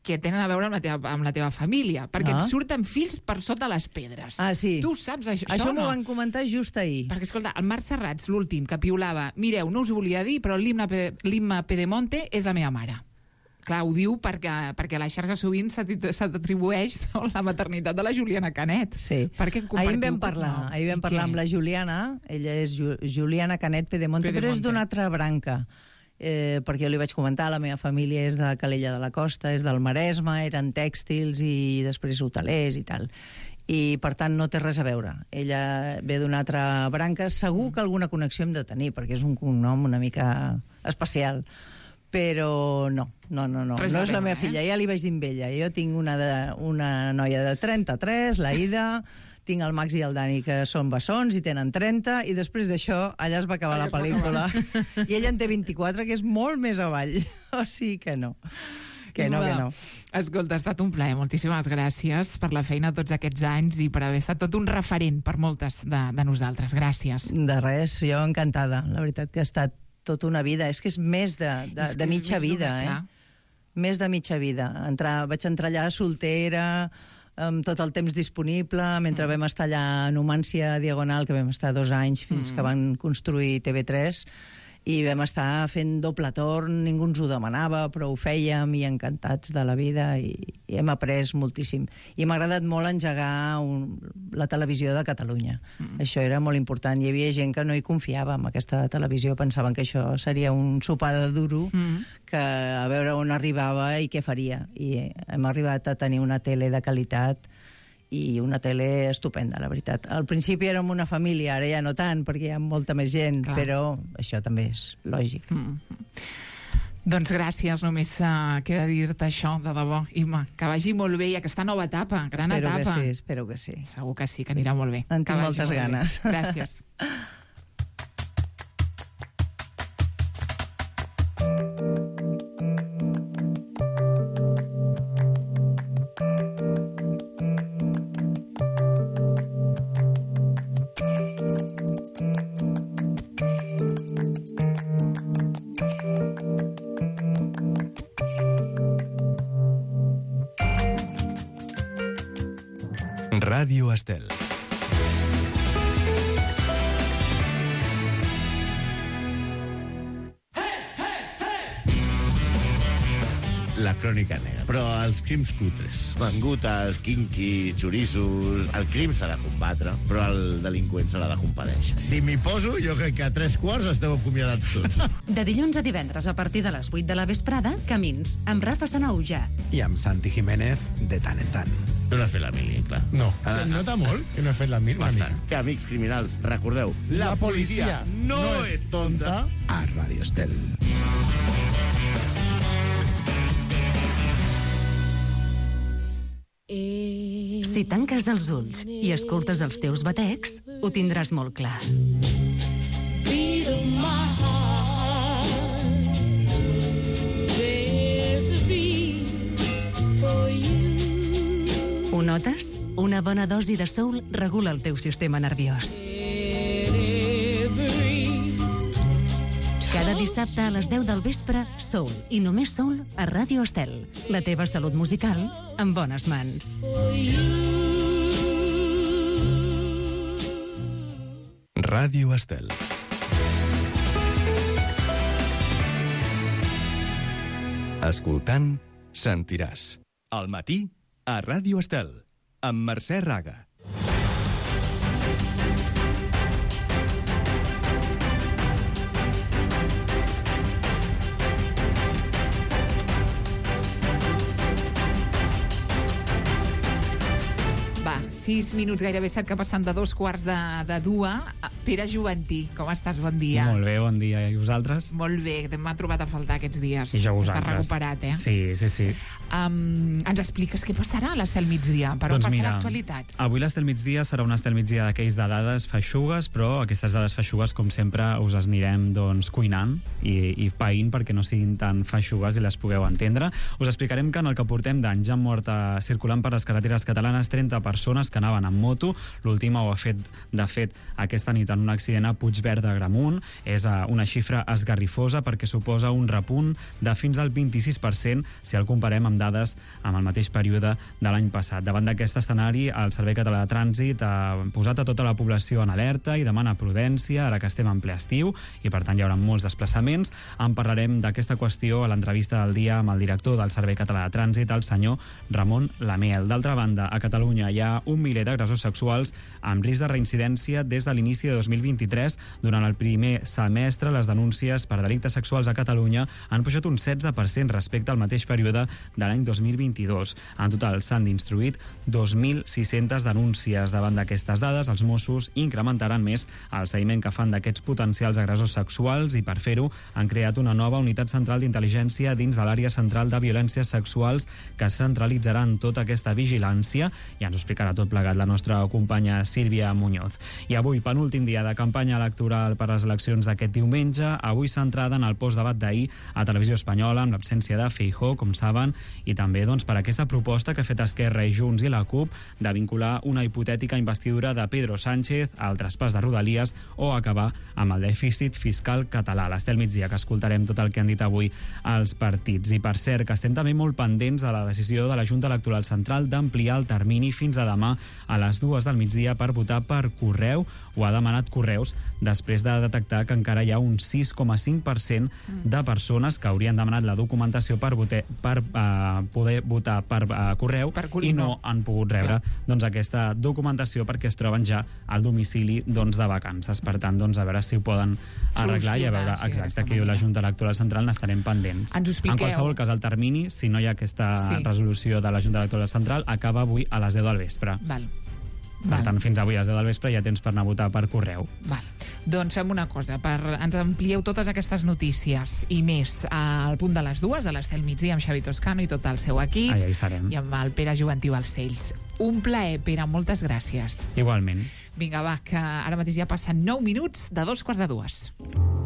que tenen a veure amb la teva família, perquè et surten fills per sota les pedres. Ah, sí. Tu saps això? Això m'ho van comentar just ahir. Perquè, escolta, el Marc Serrats, l'últim, que piulava, mireu, no us ho volia dir, però l'Imma Pedemonte és la meva mare. Clar, ho diu perquè a la xarxa sovint s'atribueix la maternitat de la Juliana Canet. Sí. Ahir vam parlar amb la Juliana, ella és Juliana Canet Pedemonte, però és d'una altra branca. Perquè jo li vaig comentar, la meva família és de Calella de la Costa, és del Maresme, eren tèxtils i després hotelers i tal. I, per tant, no té res a veure. Ella ve d'una altra branca, segur que alguna connexió hem de tenir, perquè és un cognom una mica especial. Però no és la meva filla, ja li vaig dir amb ella. Jo tinc una noia de 33, la Ida, tinc el Max i el Dani, que són bessons i tenen 30, i després d'això allà es va acabar la pel·lícula. I ella en té 24, que és molt més avall. O sigui que no. Que no. Escolta, ha estat un plaer. Moltíssimes gràcies per la feina tots aquests anys i per haver estat tot un referent per moltes de nosaltres. Gràcies. De res, jo encantada. La veritat que ha estat tota una vida. És que és més de mitja vida, Més de mitja vida. Vaig entrar allà soltera, amb tot el temps disponible, mentre vam estar allà a Numància Diagonal, que vam estar 2 anys fins que van construir TV3, i vam estar fent doble torn, ningú ens ho demanava, però ho fèiem i encantats de la vida i hem après moltíssim. I m'ha agradat molt engegar la televisió de Catalunya. Això era molt important. Hi havia gent que no hi confiava en aquesta televisió, pensaven que això seria un sopar de duro, que a veure on arribava i què faria. I hem arribat a tenir una tele de qualitat i una tele estupenda, la veritat. Al principi érem una família, ara ja no tant, perquè hi ha molta més gent, però això també és lògic. Doncs gràcies, només queda dir-te això, de debò. Imma, que vagi molt bé i aquesta nova etapa, gran etapa. Espero que sí. Segur que sí, que anirà molt bé. En tinc moltes ganes. Gràcies. Ràdio Estel. La crònica negra. Però els crims cutres, mangutes, quinqui, xoriços... El crim s'ha de combatre, però el delinqüent se l'ha de compadèixer. Si m'hi poso, jo crec que a 3:15 esteu acomiadats tots. De dilluns a divendres, a partir de les 8 de la vesprada, Camins, amb Rafa Sanauja. I amb Santi Jiménez, de tant en tant. Tu no has fet la mili, clar. No. Se nota molt que no he fet la mili. Bastant. Que, amics criminals, recordeu, la policia no és tonta. A Ràdio Estel. Si tanques els ulls i escoltes els teus batecs, ho tindràs molt clar. Ho notes? Una bona dosi de soul regula el teu sistema nerviós. Cada dissabte a les 10 del vespre, soul i només soul a Ràdio Estel. La teva salut musical en bones mans. Ràdio Estel. Escoltant, sentiràs. Al matí, a Ràdio Estel, amb Mercè Raga. Va, 6 minuts, gairebé 7, que passen de 2:15. Pere Juventí, com estàs? Bon dia. Molt bé, bon dia. I vosaltres? Molt bé, m'ha trobat a faltar aquests dies. I jo vosaltres. Estàs recuperat, eh? Sí. Ens expliques què passarà a l'Estel Migdia? Per on passarà l'actualitat? Avui l'Estel Migdia serà un Estel Migdia d'aquells de dades feixugues, però aquestes dades feixugues, com sempre, us les anirem cuinant i païnt perquè no siguin tan feixugues i les pugueu entendre. Us explicarem que en el que portem d'anys han mort circulant per les carreteres catalanes 30 persones que anaven amb moto. L'última ho ha fet, de fet, aquesta nit en un accident a Puigverd d'Agramunt. És una xifra esgarrifosa perquè suposa un repunt de fins al 26% si el comparem amb dades amb el mateix període de l'any passat. Davant d'aquest escenari, el Servei Català de Trànsit ha posat a tota la població en alerta i demana prudència, ara que estem en ple estiu, i per tant hi haurà molts desplaçaments. En parlarem d'aquesta qüestió a l'entrevista del dia amb el director del Servei Català de Trànsit, el senyor Ramon Lamiel. D'altra banda, a Catalunya hi ha 1 miler d'agressors sexuals amb risc de reincidència des de l'inici de 2023. Durant el primer semestre, les denúncies per delictes sexuals a Catalunya han pujat un 16% respecte al mateix període de l'any 2022. En total, s'han instruït 2.600 denúncies. Davant d'aquestes dades, els Mossos incrementaran més el seguiment que fan d'aquests potencials agressors sexuals i, per fer-ho, han creat una nova unitat central d'intel·ligència dins de l'àrea central de violències sexuals que centralitzarà en tota aquesta vigilància, i ens ho explicarà tot plegat la nostra companya Sílvia Muñoz. I avui, penúltim dia de campanya electoral per a les eleccions d'aquest diumenge, avui centrada en el postdebat d'ahir a Televisió Espanyola, amb l'absència de Feijóo, com saben, i també per aquesta proposta que ha fet Esquerra i Junts i la CUP de vincular una hipotètica investidura de Pedro Sánchez al traspàs de Rodalies o acabar amb el dèficit fiscal català. L'Estel Migdia, que escoltarem tot el que han dit avui els partits. I per cert, que estem també molt pendents de la decisió de la Junta Electoral Central d'ampliar el termini fins a demà a les 2 del migdia per votar per correu. Ho ha demanat Correus després de detectar que encara hi ha un 6,5% de persones que haurien demanat la documentació per poder votar per correu i no han pogut rebre aquesta documentació perquè es troben ja al domicili de vacances. Per tant, a veure si ho poden arreglar i a veure exacte què diu la Junta Electoral Central, n'estarem pendents. Ens ho expliqueu. En qualsevol cas, el termini, si no hi ha aquesta resolució de la Junta Electoral Central, acaba avui a les 10 del vespre. Per tant, fins avui a les 10 del vespre hi ha temps per anar a votar per correu. Doncs fem una cosa, ens amplieu totes aquestes notícies i més al punt de les 2, a l'Estel Migdia, amb Xavi Toscano i tot el seu equip. Allà hi serem. I amb el Pere Joventiu Balcells. Un plaer, Pere, moltes gràcies. Igualment. Vinga, va, que ara mateix ja passen 9 minuts de 2:45.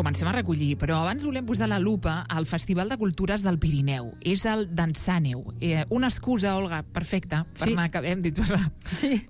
Comencem a recollir, però abans volem posar la lupa al Festival de Cultures del Pirineu. És el Dansàneu. Una excusa, Olga, perfecta, per anar, que hem dit,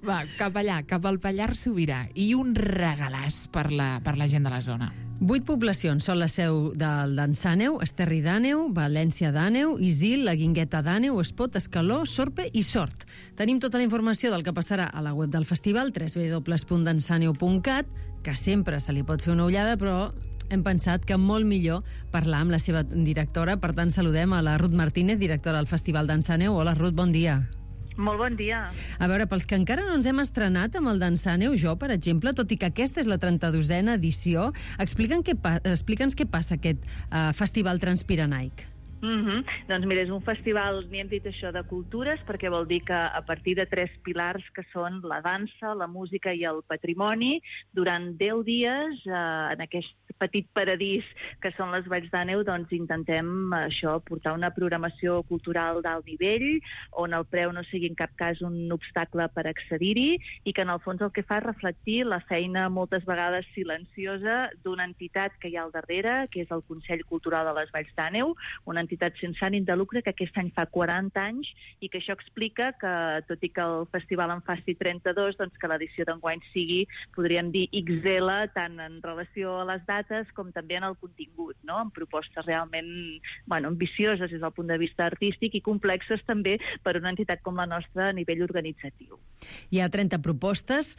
va, cap allà, cap al Pallars Sobirà, i un regalàs per la gent de la zona. 8 poblacions són la seu del Dansàneu: Esterri d'Àneu, València d'Àneu, Isil, la Guingueta d'Àneu, Espot, Escaló, Sorpe i Sort. Tenim tota la informació del que passarà a la web del festival, www.dansaneu.cat, que sempre se li pot fer una ullada, però hem pensat que molt millor parlar amb la seva directora. Per tant, saludem a la Ruth Martínez, directora del Festival Dansàneu. Hola, Ruth, bon dia. Molt bon dia. A veure, pels que encara no ens hem estrenat amb el Dansàneu, jo, per exemple, tot i que aquesta és la 32a edició, explica'ns què passa aquest festival transpirenaic. Doncs mira, és un festival, n'hi hem dit això, de cultures, perquè vol dir que a partir de 3 pilars, que són la dansa, la música i el patrimoni, durant 10 dies, en aquest petit paradís que són les Valls d'Àneu, doncs intentem això, portar una programació cultural d'alt nivell, on el preu no sigui en cap cas un obstacle per accedir-hi, i que en el fons el que fa és reflectir la feina moltes vegades silenciosa d'una entitat que hi ha al darrere, que és el Consell Cultural de les Valls d'Àneu, una entitat sense ànim de lucre que aquest any fa 40 anys i que això explica que, tot i que el festival en faci 32, doncs que l'edició d'enguany sigui, podríem dir, XL, tant en relació a les dates com també en el contingut, no? Amb propostes realment ambicioses des del punt de vista artístic i complexes també per una entitat com la nostra a nivell organitzatiu. Hi ha 30 propostes,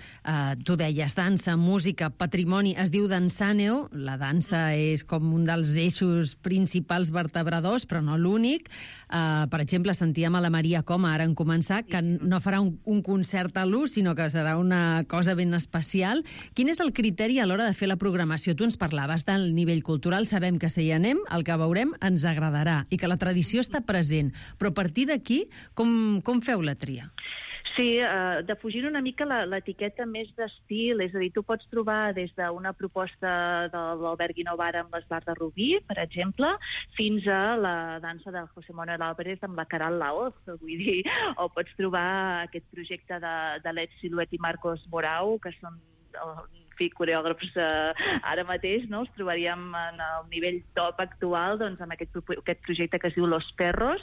tu deies dansa, música, patrimoni, es diu Dansàneu, la dansa és com un dels eixos principals vertebradors, però no l'únic. Per exemple, sentíem a la Maria Coma, ara en començar, que no farà un concert a l'ús, sinó que serà una cosa ben especial. Quin és el criteri a l'hora de fer la programació? Tu ens parlaves del nivell cultural, sabem que si hi anem, el que veurem ens agradarà i que la tradició està present, però a partir d'aquí, com feu la tria? Sí, defugint una mica l'etiqueta més d'estil, és a dir, tu pots trobar des d'una proposta de l'Albert Guinovara amb l'Esbar de Rubí, per exemple, fins a la dansa del José Manuel Álvarez amb la Caral Laoz, vull dir, o pots trobar aquest projecte de Let Siluet i Marcos Morau, que són coreògrafs ara mateix, no? Els trobaríem en el nivell top actual, doncs, amb aquest projecte que es diu Los Perros,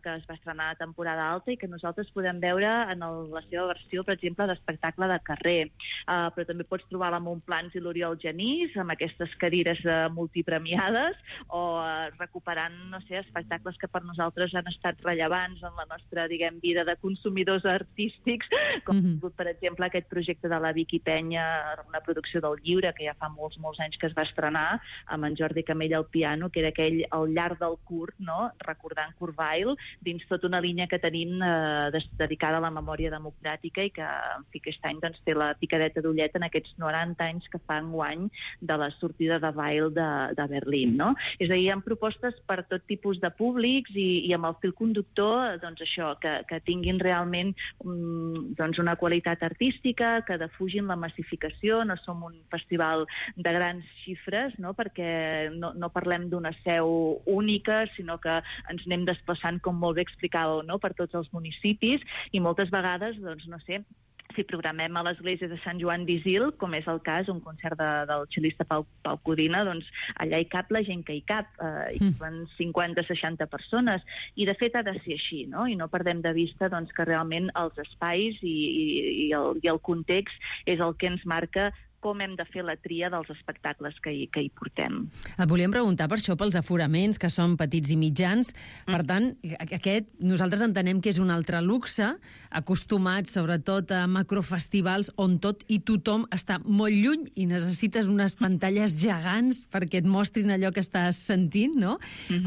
que es va estrenar a temporada alta i que nosaltres podem veure en la seva versió, per exemple, d'espectacle de carrer. Però també pots trobar la Montplans i l'Oriol Genís amb aquestes cadires multipremiades o recuperant, no sé, espectacles que per nosaltres han estat rellevants en la nostra, diguem, vida de consumidors artístics, com per exemple aquest projecte de la Vicky Penya, una producció del Lliure, que ja fa molts anys que es va estrenar, amb en Jordi Camell al piano, que era aquell al llarg del curt, no? Recordant Kurt Weill, dins tota una línia que tenim dedicada a la memòria democràtica i que, en fi, aquest any doncs, té la picadeta d'ullet en aquests 90 anys que fa enguany de la sortida de Weill de Berlín, no? És a dir, hi ha propostes per tot tipus de públics i amb el fil conductor, doncs això, que tinguin realment doncs, una qualitat artística, que defugin la massificació, dimensió, no som un festival de grans xifres, no? Perquè no parlem d'una seu única, sinó que ens anem desplaçant, com molt bé explicàveu, no? Per tots els municipis, i moltes vegades, doncs, no sé, si programem a l'església de Sant Joan d'Isil, com és el cas, un concert del xilista Pau Codina, doncs allà hi cap la gent que hi cap, hi van 50-60 persones, i de fet ha de ser així, no? I no perdem de vista doncs, que realment els espais i el context és el que ens marca com hem de fer la tria dels espectacles que hi portem. Et volíem preguntar per això, pels aforaments, que són petits i mitjans. Per tant, nosaltres entenem que és un altre luxe, acostumats sobretot a macrofestivals on tot i tothom està molt lluny i necessites unes pantalles gegants perquè et mostrin allò que estàs sentint, no?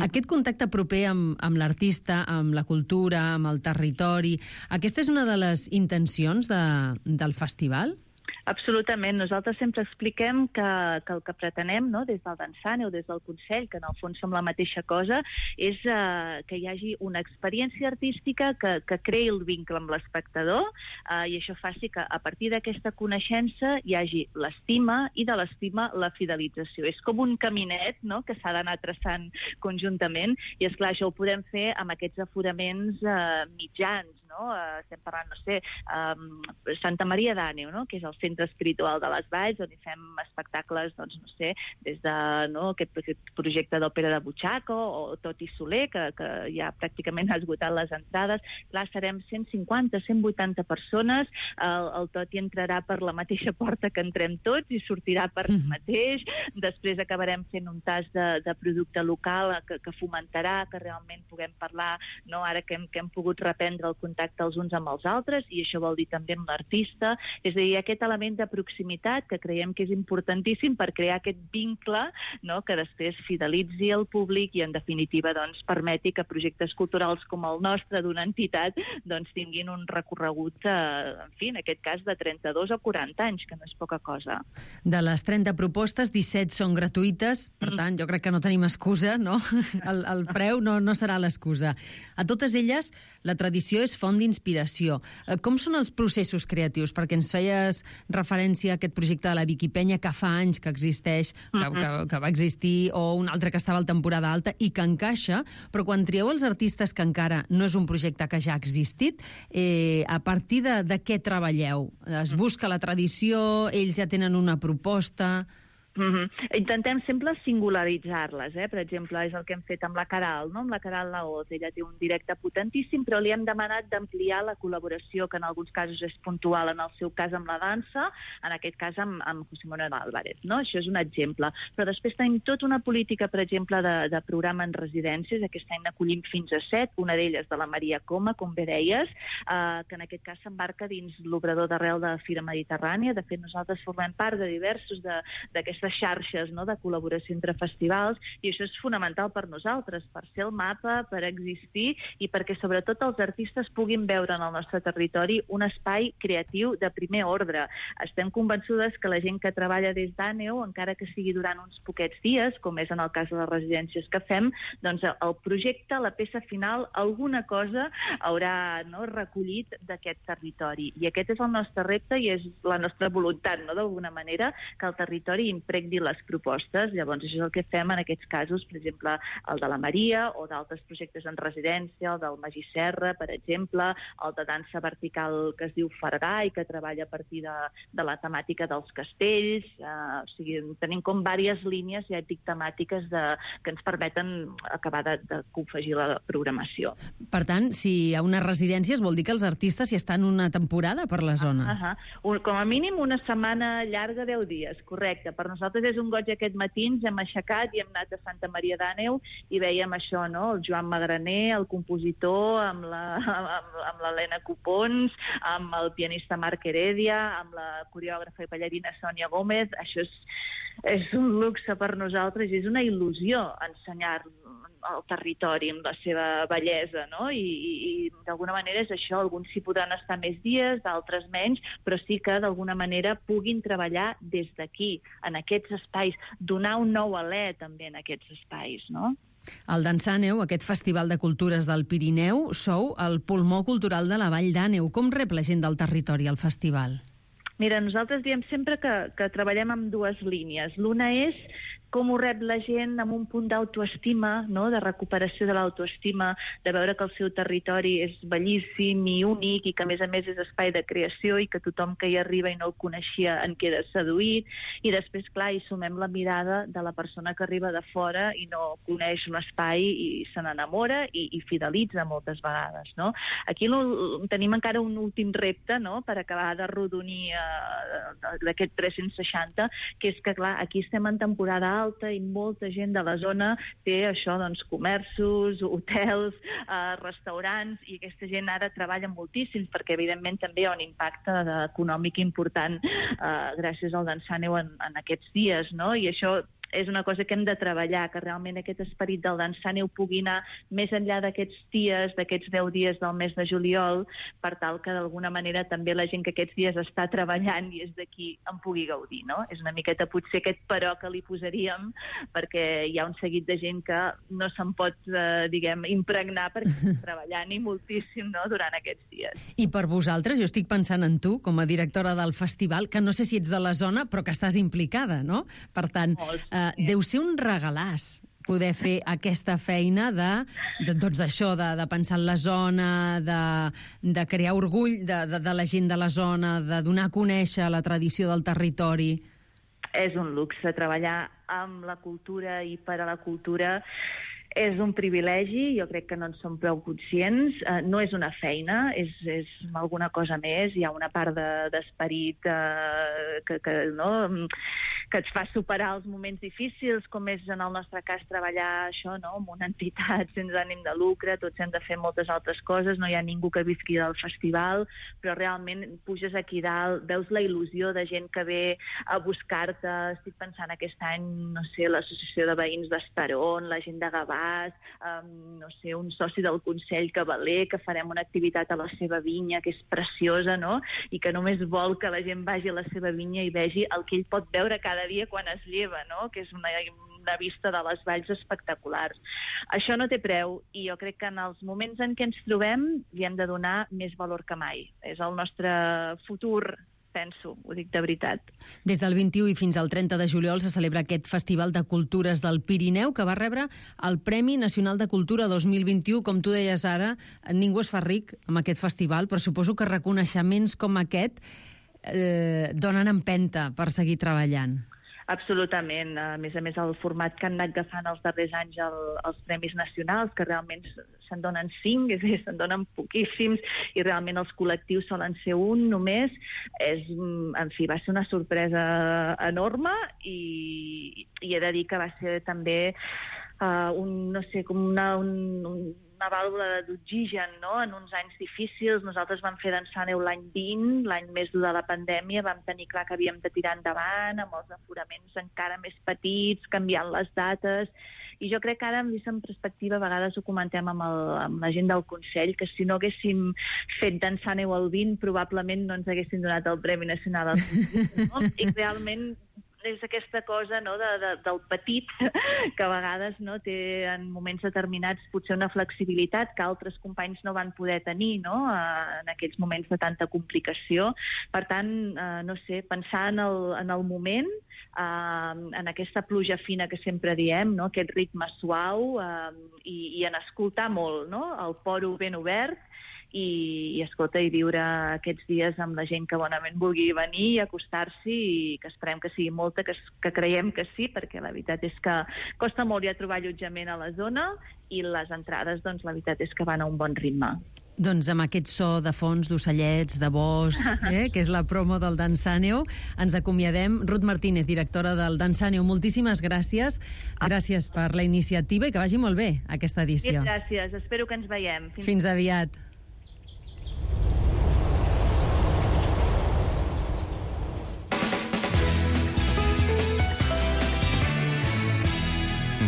Aquest contacte proper amb l'artista, amb la cultura, amb el territori, aquesta és una de les intencions del festival? Absolutament. Nosaltres sempre expliquem que el que pretenem, no, des del Dansàneu, des del Consell, que en el fons som la mateixa cosa, és que hi hagi una experiència artística que creï el vincle amb l'espectador, i això faci que a partir d'aquesta coneixença hi hagi l'estima i de l'estima la fidelització. És com un caminet, no?, que s'ha d'anar traçant conjuntament, i esclar, això ho podem fer amb aquests aforaments mitjans, no? Estem parlant, no sé, Santa Maria d'Àneu, no?, que és el centre espiritual de les Valls, on hi fem espectacles, doncs, no sé, des de aquest projecte d'òpera de Butxaca o Toti Soler, que ja pràcticament ha esgotat les entrades. Clar, serem 150, 180 persones, el Toti entrarà per la mateixa porta que entrem tots i sortirà per mateix, després acabarem fent un tas de producte local que fomentarà que realment puguem parlar, no?, ara que hem pogut reprendre el contacte els uns amb els altres, i això vol dir també amb l'artista. És a dir, aquest element de proximitat que creiem que és importantíssim per crear aquest vincle, no?, que després fidelitzi el públic i, en definitiva, doncs, permeti que projectes culturals com el nostre, d'una entitat, doncs, tinguin un recorregut, en fi, en aquest cas, de 32 o 40 anys, que no és poca cosa. De les 30 propostes, 17 són gratuïtes, per tant, jo crec que no tenim excusa, no? El preu no serà l'excusa. A totes elles, la tradició és font d'inspiració. Com són els processos creatius? Perquè ens feies referència a aquest projecte de la Viquipenya que fa anys que existeix, que va existir, o un altre que estava a temporada alta i que encaixa, però quan trieu els artistes que encara no és un projecte que ja ha existit, a partir de què treballeu? Es busca la tradició, ells ja tenen una proposta... Intentem sempre singularitzar-les, Per exemple, és el que hem fet amb la Caral, no?, amb la Caral Laoz. Ella té un directe potentíssim, però li hem demanat d'ampliar la col·laboració, que en alguns casos és puntual, en el seu cas amb la dansa, en aquest cas amb José Manuel Álvarez, no? Això és un exemple. Però després tenim tota una política, per exemple, de programa en residències. Aquest any n'acollim fins a 7, una d'elles de la Maria Coma, com bé deies, que en aquest cas s'embarca dins l'obrador d'arrel de Fira Mediterrània. De fet, nosaltres formem part de diversos d'aquestes xarxes, no?, de col·laboració entre festivals, i això és fonamental per nosaltres, per ser el mapa, per existir i perquè sobretot els artistes puguin veure en el nostre territori un espai creatiu de primer ordre. Estem convençudes que la gent que treballa des d'Àneu, encara que sigui durant uns poquets dies, com és en el cas de les residències que fem, doncs el projecte, la peça final, alguna cosa haurà, no?, recollit d'aquest territori. I aquest és el nostre repte i és la nostra voluntat, no?, d'alguna manera, que el territori impregni les propostes. Llavors, això és el que fem en aquests casos, per exemple, el de la Maria, o d'altres projectes en residència, el del Magí Serra, per exemple, el de dansa vertical que es diu Fargà i que treballa a partir de la temàtica dels castells. O sigui, tenim com diverses línies, ja dic, temàtiques que ens permeten acabar de confegir la programació. Per tant, si hi ha unes residències, vol dir que els artistes hi estan una temporada per la zona. Com a mínim una setmana llarga, 10 dies, correcte. Per nosaltres és un goig aquest matí, ens hem aixecat i hem anat a Santa Maria d'Àneu i veiem això, no?, el Joan Magraner, el compositor, amb l'Helena Copons, amb el pianista Marc Heredia, amb la coreògrafa i ballarina Sònia Gómez. Això és un luxe per nosaltres i és una il·lusió ensenyar el territori amb la seva bellesa, no? I d'alguna manera és això, alguns s'hi podran estar més dies, d'altres menys, però sí que d'alguna manera puguin treballar des d'aquí, en aquests espais, donar un nou alè també en aquests espais, no? El Dansàneu, aquest festival de cultures del Pirineu, sou el pulmó cultural de la Vall d'Àneu. Com rep la gent del territori al festival? Mira, nosaltres diem sempre que treballem amb dues línies. L'una és com ho rep la gent amb un punt d'autoestima, no? De recuperació de l'autoestima, de veure que el seu territori és bellíssim i únic i que, a més és espai de creació i que tothom que hi arriba i no el coneixia en queda seduït. I després, clar, hi sumem la mirada de la persona que arriba de fora i no coneix l'espai i se n'enamora i fidelitza moltes vegades, no? Aquí tenim encara un últim repte, no?, per acabar de rodonir d'aquest 360, que és que, clar, aquí estem en temporada alta i molta gent de la zona té això, doncs, comerços, hotels, restaurants, i aquesta gent ara treballa moltíssim perquè, evidentment, també hi ha un impacte econòmic important gràcies al Dansàneu en aquests dies, no? I això és una cosa que hem de treballar, que realment aquest esperit del Dansàneu pugui anar més enllà d'aquests dies, d'aquests 10 dies del mes de juliol, per tal que d'alguna manera també la gent que aquests dies està treballant i és d'aquí en pugui gaudir, no? És una miqueta potser aquest però que li posaríem, perquè hi ha un seguit de gent que no se'n pot, diguem, impregnar perquè està treballant i moltíssim, no?, durant aquests dies. I per vosaltres, jo estic pensant en tu, com a directora del festival, que no sé si ets de la zona, però que estàs implicada, no? Per tant, deu ser un regalàs poder fer aquesta feina doncs això, de pensar en la zona, de crear orgull de la gent de la zona, de donar a conèixer la tradició del territori. És un luxe treballar amb la cultura i per a la cultura. És un privilegi, jo crec que no en som prou conscients. No és una feina, és alguna cosa més. Hi ha una part d'esperit que et fa superar els moments difícils, com és en el nostre cas treballar això, no?, amb una entitat sense ànim de lucre, tots hem de fer moltes altres coses, no hi ha ningú que visqui del festival, però realment puges aquí dalt, veus la il·lusió de gent que ve a buscar-te. Estic pensant aquest any, no sé, l'associació de veïns d'Estaron, la gent de Gavà, no sé, un soci del Consell Cavaler, que farem una activitat a la seva vinya, que és preciosa, no?, i que només vol que la gent vagi a la seva vinya i vegi el que ell pot veure cada dia quan es lleva, no?, que és una vista de les valls espectaculars. Això no té preu i jo crec que en els moments en què ens trobem li hem de donar més valor que mai. És el nostre futur, penso, ho dic de veritat. Des del 21 i fins al 30 de juliol se celebra aquest Festival de Cultures del Pirineu, que va rebre el Premi Nacional de Cultura 2021. Com tu deies ara, ningú es fa ric amb aquest festival, però suposo que reconeixements com aquest donen empenta per seguir treballant. Absolutament. A més, el format que han anat agafant els darrers anys els Premis Nacionals, que realment se'n donen 5, és a dir, se'n donen poquíssims, i realment els col·lectius solen ser un només, en fi, va ser una sorpresa enorme i he de dir que va ser també una vàlvula d'oxigen, no?, en uns anys difícils. Nosaltres vam fer Dansàneu l'any 20, l'any més dur de la pandèmia, vam tenir clar que havíem de tirar endavant, amb els aforaments encara més petits, canviant les dates, i jo crec que ara, vist en perspectiva, a vegades ho comentem amb la gent del Consell, que si no haguéssim fet Dansàneu el 20, probablement no ens haguessin donat el Premi Nacional al Cultura, no? I realment és aquesta cosa, no?, del petit, que a vegades, no?, té en moments determinats potser una flexibilitat que altres companys no van poder tenir, no?, en aquells moments de tanta complicació. Per tant, no sé, pensar en el moment, en aquesta pluja fina que sempre diem, no?, aquest ritme suau, i en escoltar molt, no?, el poro ben obert, i escolta, i viure aquests dies amb la gent que bonament vulgui venir i acostar-s'hi, i que esperem que sigui molta, que creiem que sí, perquè la veritat és que costa molt ja trobar allotjament a la zona, i les entrades, doncs, la veritat és que van a un bon ritme. Doncs amb aquest so de fons d'ocellets, de bosc, que és la promo del Dansàneu, ens acomiadem. Ruth Martínez, directora del Dansàneu, moltíssimes gràcies. Gràcies per la iniciativa i que vagi molt bé aquesta edició. Sí, gràcies. Espero que ens veiem. Fins aviat.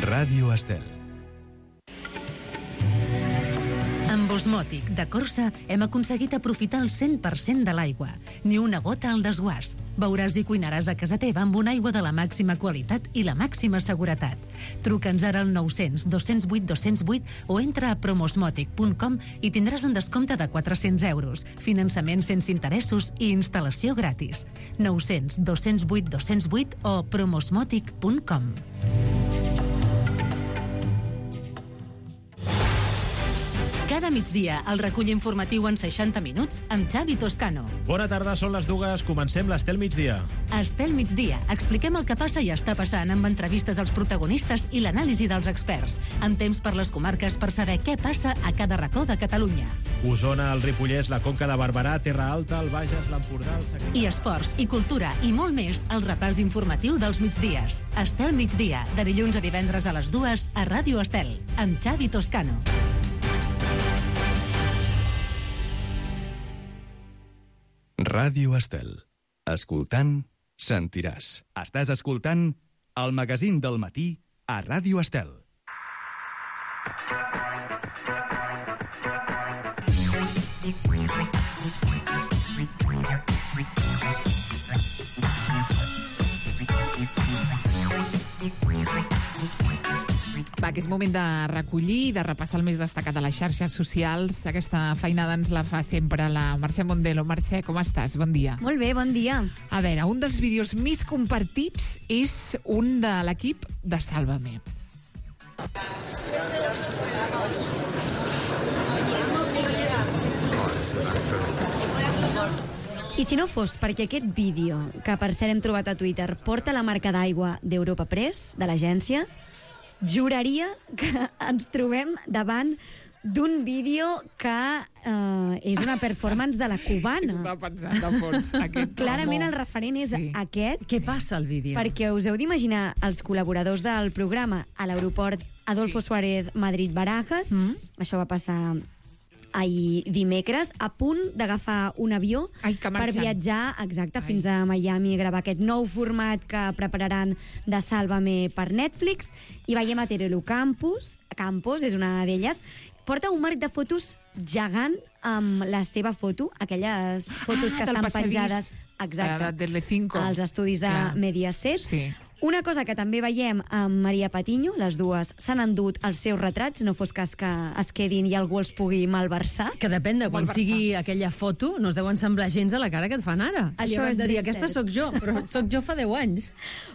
Ràdio Estel. Osmòtic, de Corsa, hem aconseguit aprofitar el 100% de l'aigua. Ni una gota al desguàs. Beuràs i cuinaràs a casa teva amb una aigua de la màxima qualitat i la màxima seguretat. Truca'ns ara al 900 208 208 o entra a promosmòtic.com i tindràs un descompte de 400 euros, finançament sense interessos i instal·lació gratis. 900 208 208 o promosmòtic.com. Cada migdia, el recull informatiu en 60 minuts amb Xavi Toscano. Bona tarda, són les 2, comencem l'Estel Migdia. Estel Migdia, expliquem el que passa i està passant amb entrevistes als protagonistes i l'anàlisi dels experts, amb temps per les comarques per saber què passa a cada racó de Catalunya. Osona, el Ripollès, la Conca de Barberà, Terra Alta, el Bages, l'Empordà, el Segrià... I esports, i cultura, i molt més, el repàs informatiu dels migdies. Estel Migdia, de dilluns a divendres a les 2 a Ràdio Estel, amb Xavi Toscano. Ràdio Estel. Escoltant, sentiràs. Estàs escoltant el magazín del matí a Ràdio Estel. Va, que és moment de recollir i de repassar el més destacat de les xarxes socials. Aquesta feinada ens la fa sempre la Mercè Mondelo. Mercè, com estàs? Bon dia. Molt bé, bon dia. A veure, un dels vídeos més compartits és un de l'equip de Sálvame. I si no fos perquè aquest vídeo, que per cert hem trobat a Twitter, porta la marca d'aigua d'Europa Press, de l'agència, juraria que ens trobem davant d'un vídeo que és una performance de la cubana. Estava pensant, de fons. Clarament el referent és aquest. Què passa al vídeo? Perquè us heu d'imaginar els col·laboradors del programa a l'aeroport Adolfo Suárez Madrid-Barajas. Això va passar ahir dimecres, a punt d'agafar un avió per viatjar fins a Miami a gravar aquest nou format que prepararan de Sálvame per Netflix. I veiem a Terelu Campos, és una d'elles, porta un marc de fotos gegant amb la seva foto, aquelles fotos que estan penjades als estudis de Mediaset. Una cosa que també veiem amb Maria Patiño, les dues s'han endut els seus retrats, no fos cas que es quedin i algú els pugui malversar. Que depèn de quan sigui aquella foto, no es deuen semblar gens a la cara que et fan ara. Això és de dir, aquesta sóc jo, però sóc jo fa 10 anys.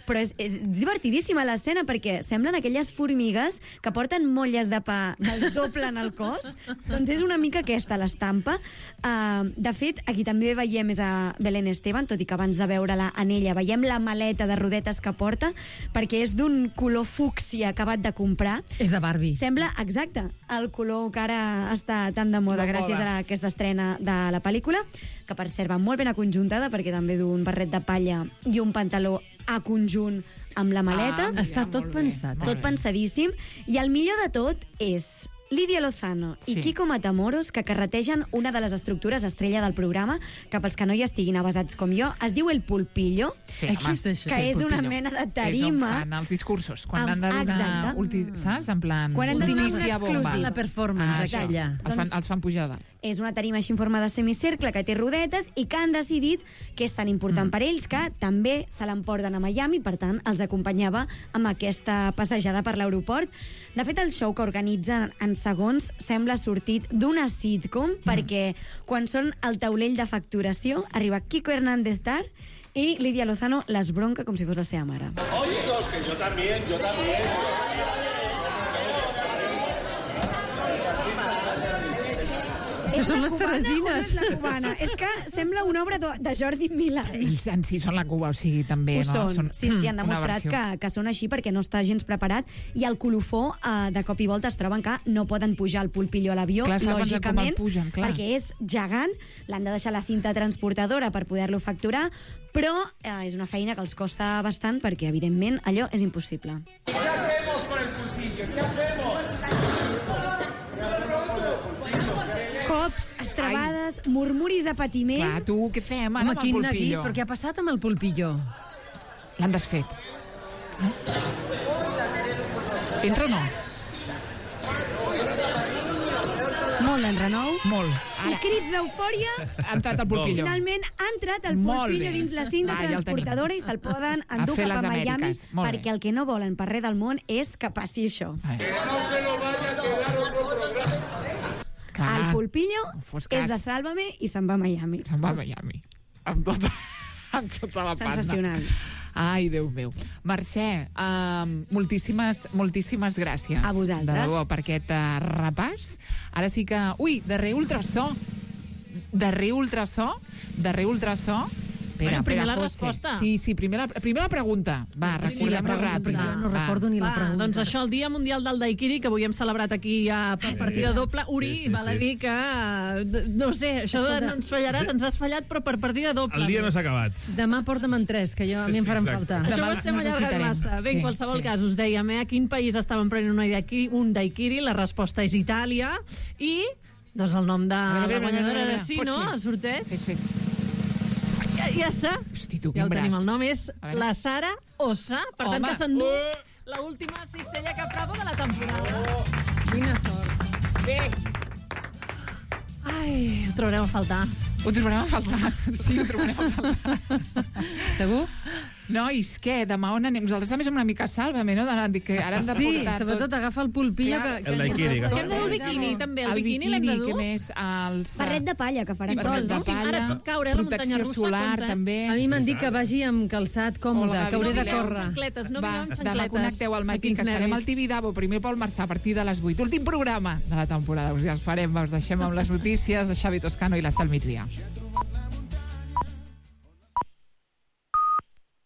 Però és divertidíssima l'escena perquè semblen aquelles formigues que porten molles de pa del doble en el cos. Doncs és una mica aquesta l'estampa. De fet, aquí també veiem és a Belén Esteban, tot i que abans de veure-la en ella veiem la maleta de rodetes que porta, perquè és d'un color fúcsia acabat de comprar. És de Barbie. Sembla, exacte, el color que ara està tan de moda gràcies a aquesta estrena de la pel·lícula, que per cert va molt ben aconjuntada perquè també du un barret de palla i un pantaló a conjunt amb la maleta. Està tot pensat. Tot pensadíssim. I el millor de tot és Lídia Lozano i Kiko Matamoros, que carretegen una de les estructures estrella del programa, que pels que no hi estiguin avasats com jo, es diu El Pulpillo, que és una mena de tarima. És on fan els discursos, quan han de donar, saps? En plan, ultimícia bomba. La performance, aquella. Els fan pujar dalt. És una tarima així en forma de semicercle que té rodetes i que han decidit que és tan important per ells que també se l'emporten a Miami, per tant, els acompanyava amb aquesta passejada per l'aeroport. De fet, el show que organitzen en segons sembla sortit d'una sitcom, perquè quan són al taulell de facturació arriba Kiko Hernández Tar i Lídia Lozano les bronca com si fos la seva mare. Oye, que yo también. Això són les teresines. És la cubana. És que sembla una obra de Jordi Milà. Ells en si són la Cuba, o sigui, també... Ho són. Sí, han demostrat que són així perquè no està gens preparat i el colofó de cop i volta es troben que no poden pujar el Pulpillo a l'avió, lògicament, perquè és gegant, l'han de deixar la cinta transportadora per poder-lo facturar, però és una feina que els costa bastant perquè, evidentment, allò és impossible. ¿Qué hacemos con el Pulpillo? ¿Qué hacemos? Cops, estrabades, murmuris de patiment... Clar, tu, què fem ara amb el Pulpillo? Però què ha passat amb el Pulpillo? L'han desfet. Entra o no? Molt renou. Molt. I crits d'eufòria. Ha entrat el Pulpillo. Finalment ha entrat el Pulpillo dins la cinta transportadora i se'l poden endur cap a Miami, perquè el que no volen per res del món és que passi això. El Pulpillo és de Sálvame i se'n va a Miami. Se'n va a Miami. Amb tota la panda. Sensacional. Ai, Déu meu. Mercè, moltíssimes gràcies. A vosaltres. De debò, per aquest repàs. Ara sí que... Ui, darrer ultrasó. Bueno, primer la resposta. Sí, primer la pregunta. Va, recordem-ho ràpid. No recordo ni la pregunta. Doncs això, el Dia Mundial del Daiquiri, que avui hem celebrat aquí ja per partida doble. Uri, val a dir que... No sé, això no ens fallaràs, ens has fallat, però per partida doble. El dia no s'ha acabat. Demà porta'm en 3, que a mi em faran falta. Això ho estem allargant massa. Bé, en qualsevol cas, us dèiem, a quin país estàvem prenent un daiquiri? La resposta és Itàlia. I, doncs, el nom de la guanyadora era sí, no? El sorteig. Fes. Ja està. Hosti, tu, ja quin el tenim, braç. el nom és la Sara Ossa, per tant que s'endú l'última cistella Cap Bravo de la temporada. Quina sort. Bé. Ai, ho trobarem a faltar. Ho trobarem a faltar. Sí, ho trobarem a faltar. Segur? Nois, què? Demà on anem? Nosaltres també som una mica Sálvame, no? Que ara hem de portar sobretot agafa el Pulpillo. El daiquiri. Hem de dur el biquini, també. El biquini l'hem de dur. Què més? Barret de palla, que farà sol, no? Ara pot caure a la muntanya russa. Protecció solar, també. A mi m'han dit que vagi amb calçat còmode, que hauré de córrer. No vingueu amb xancletes. Demà connecteu al matí, que estarem al Tibidabo, primer pel Marçà, a partir de les 8. Últim programa de la temporada. Us hi esperem, us deixem amb les notícies de Xavi Toscano i l'Estel Migdia.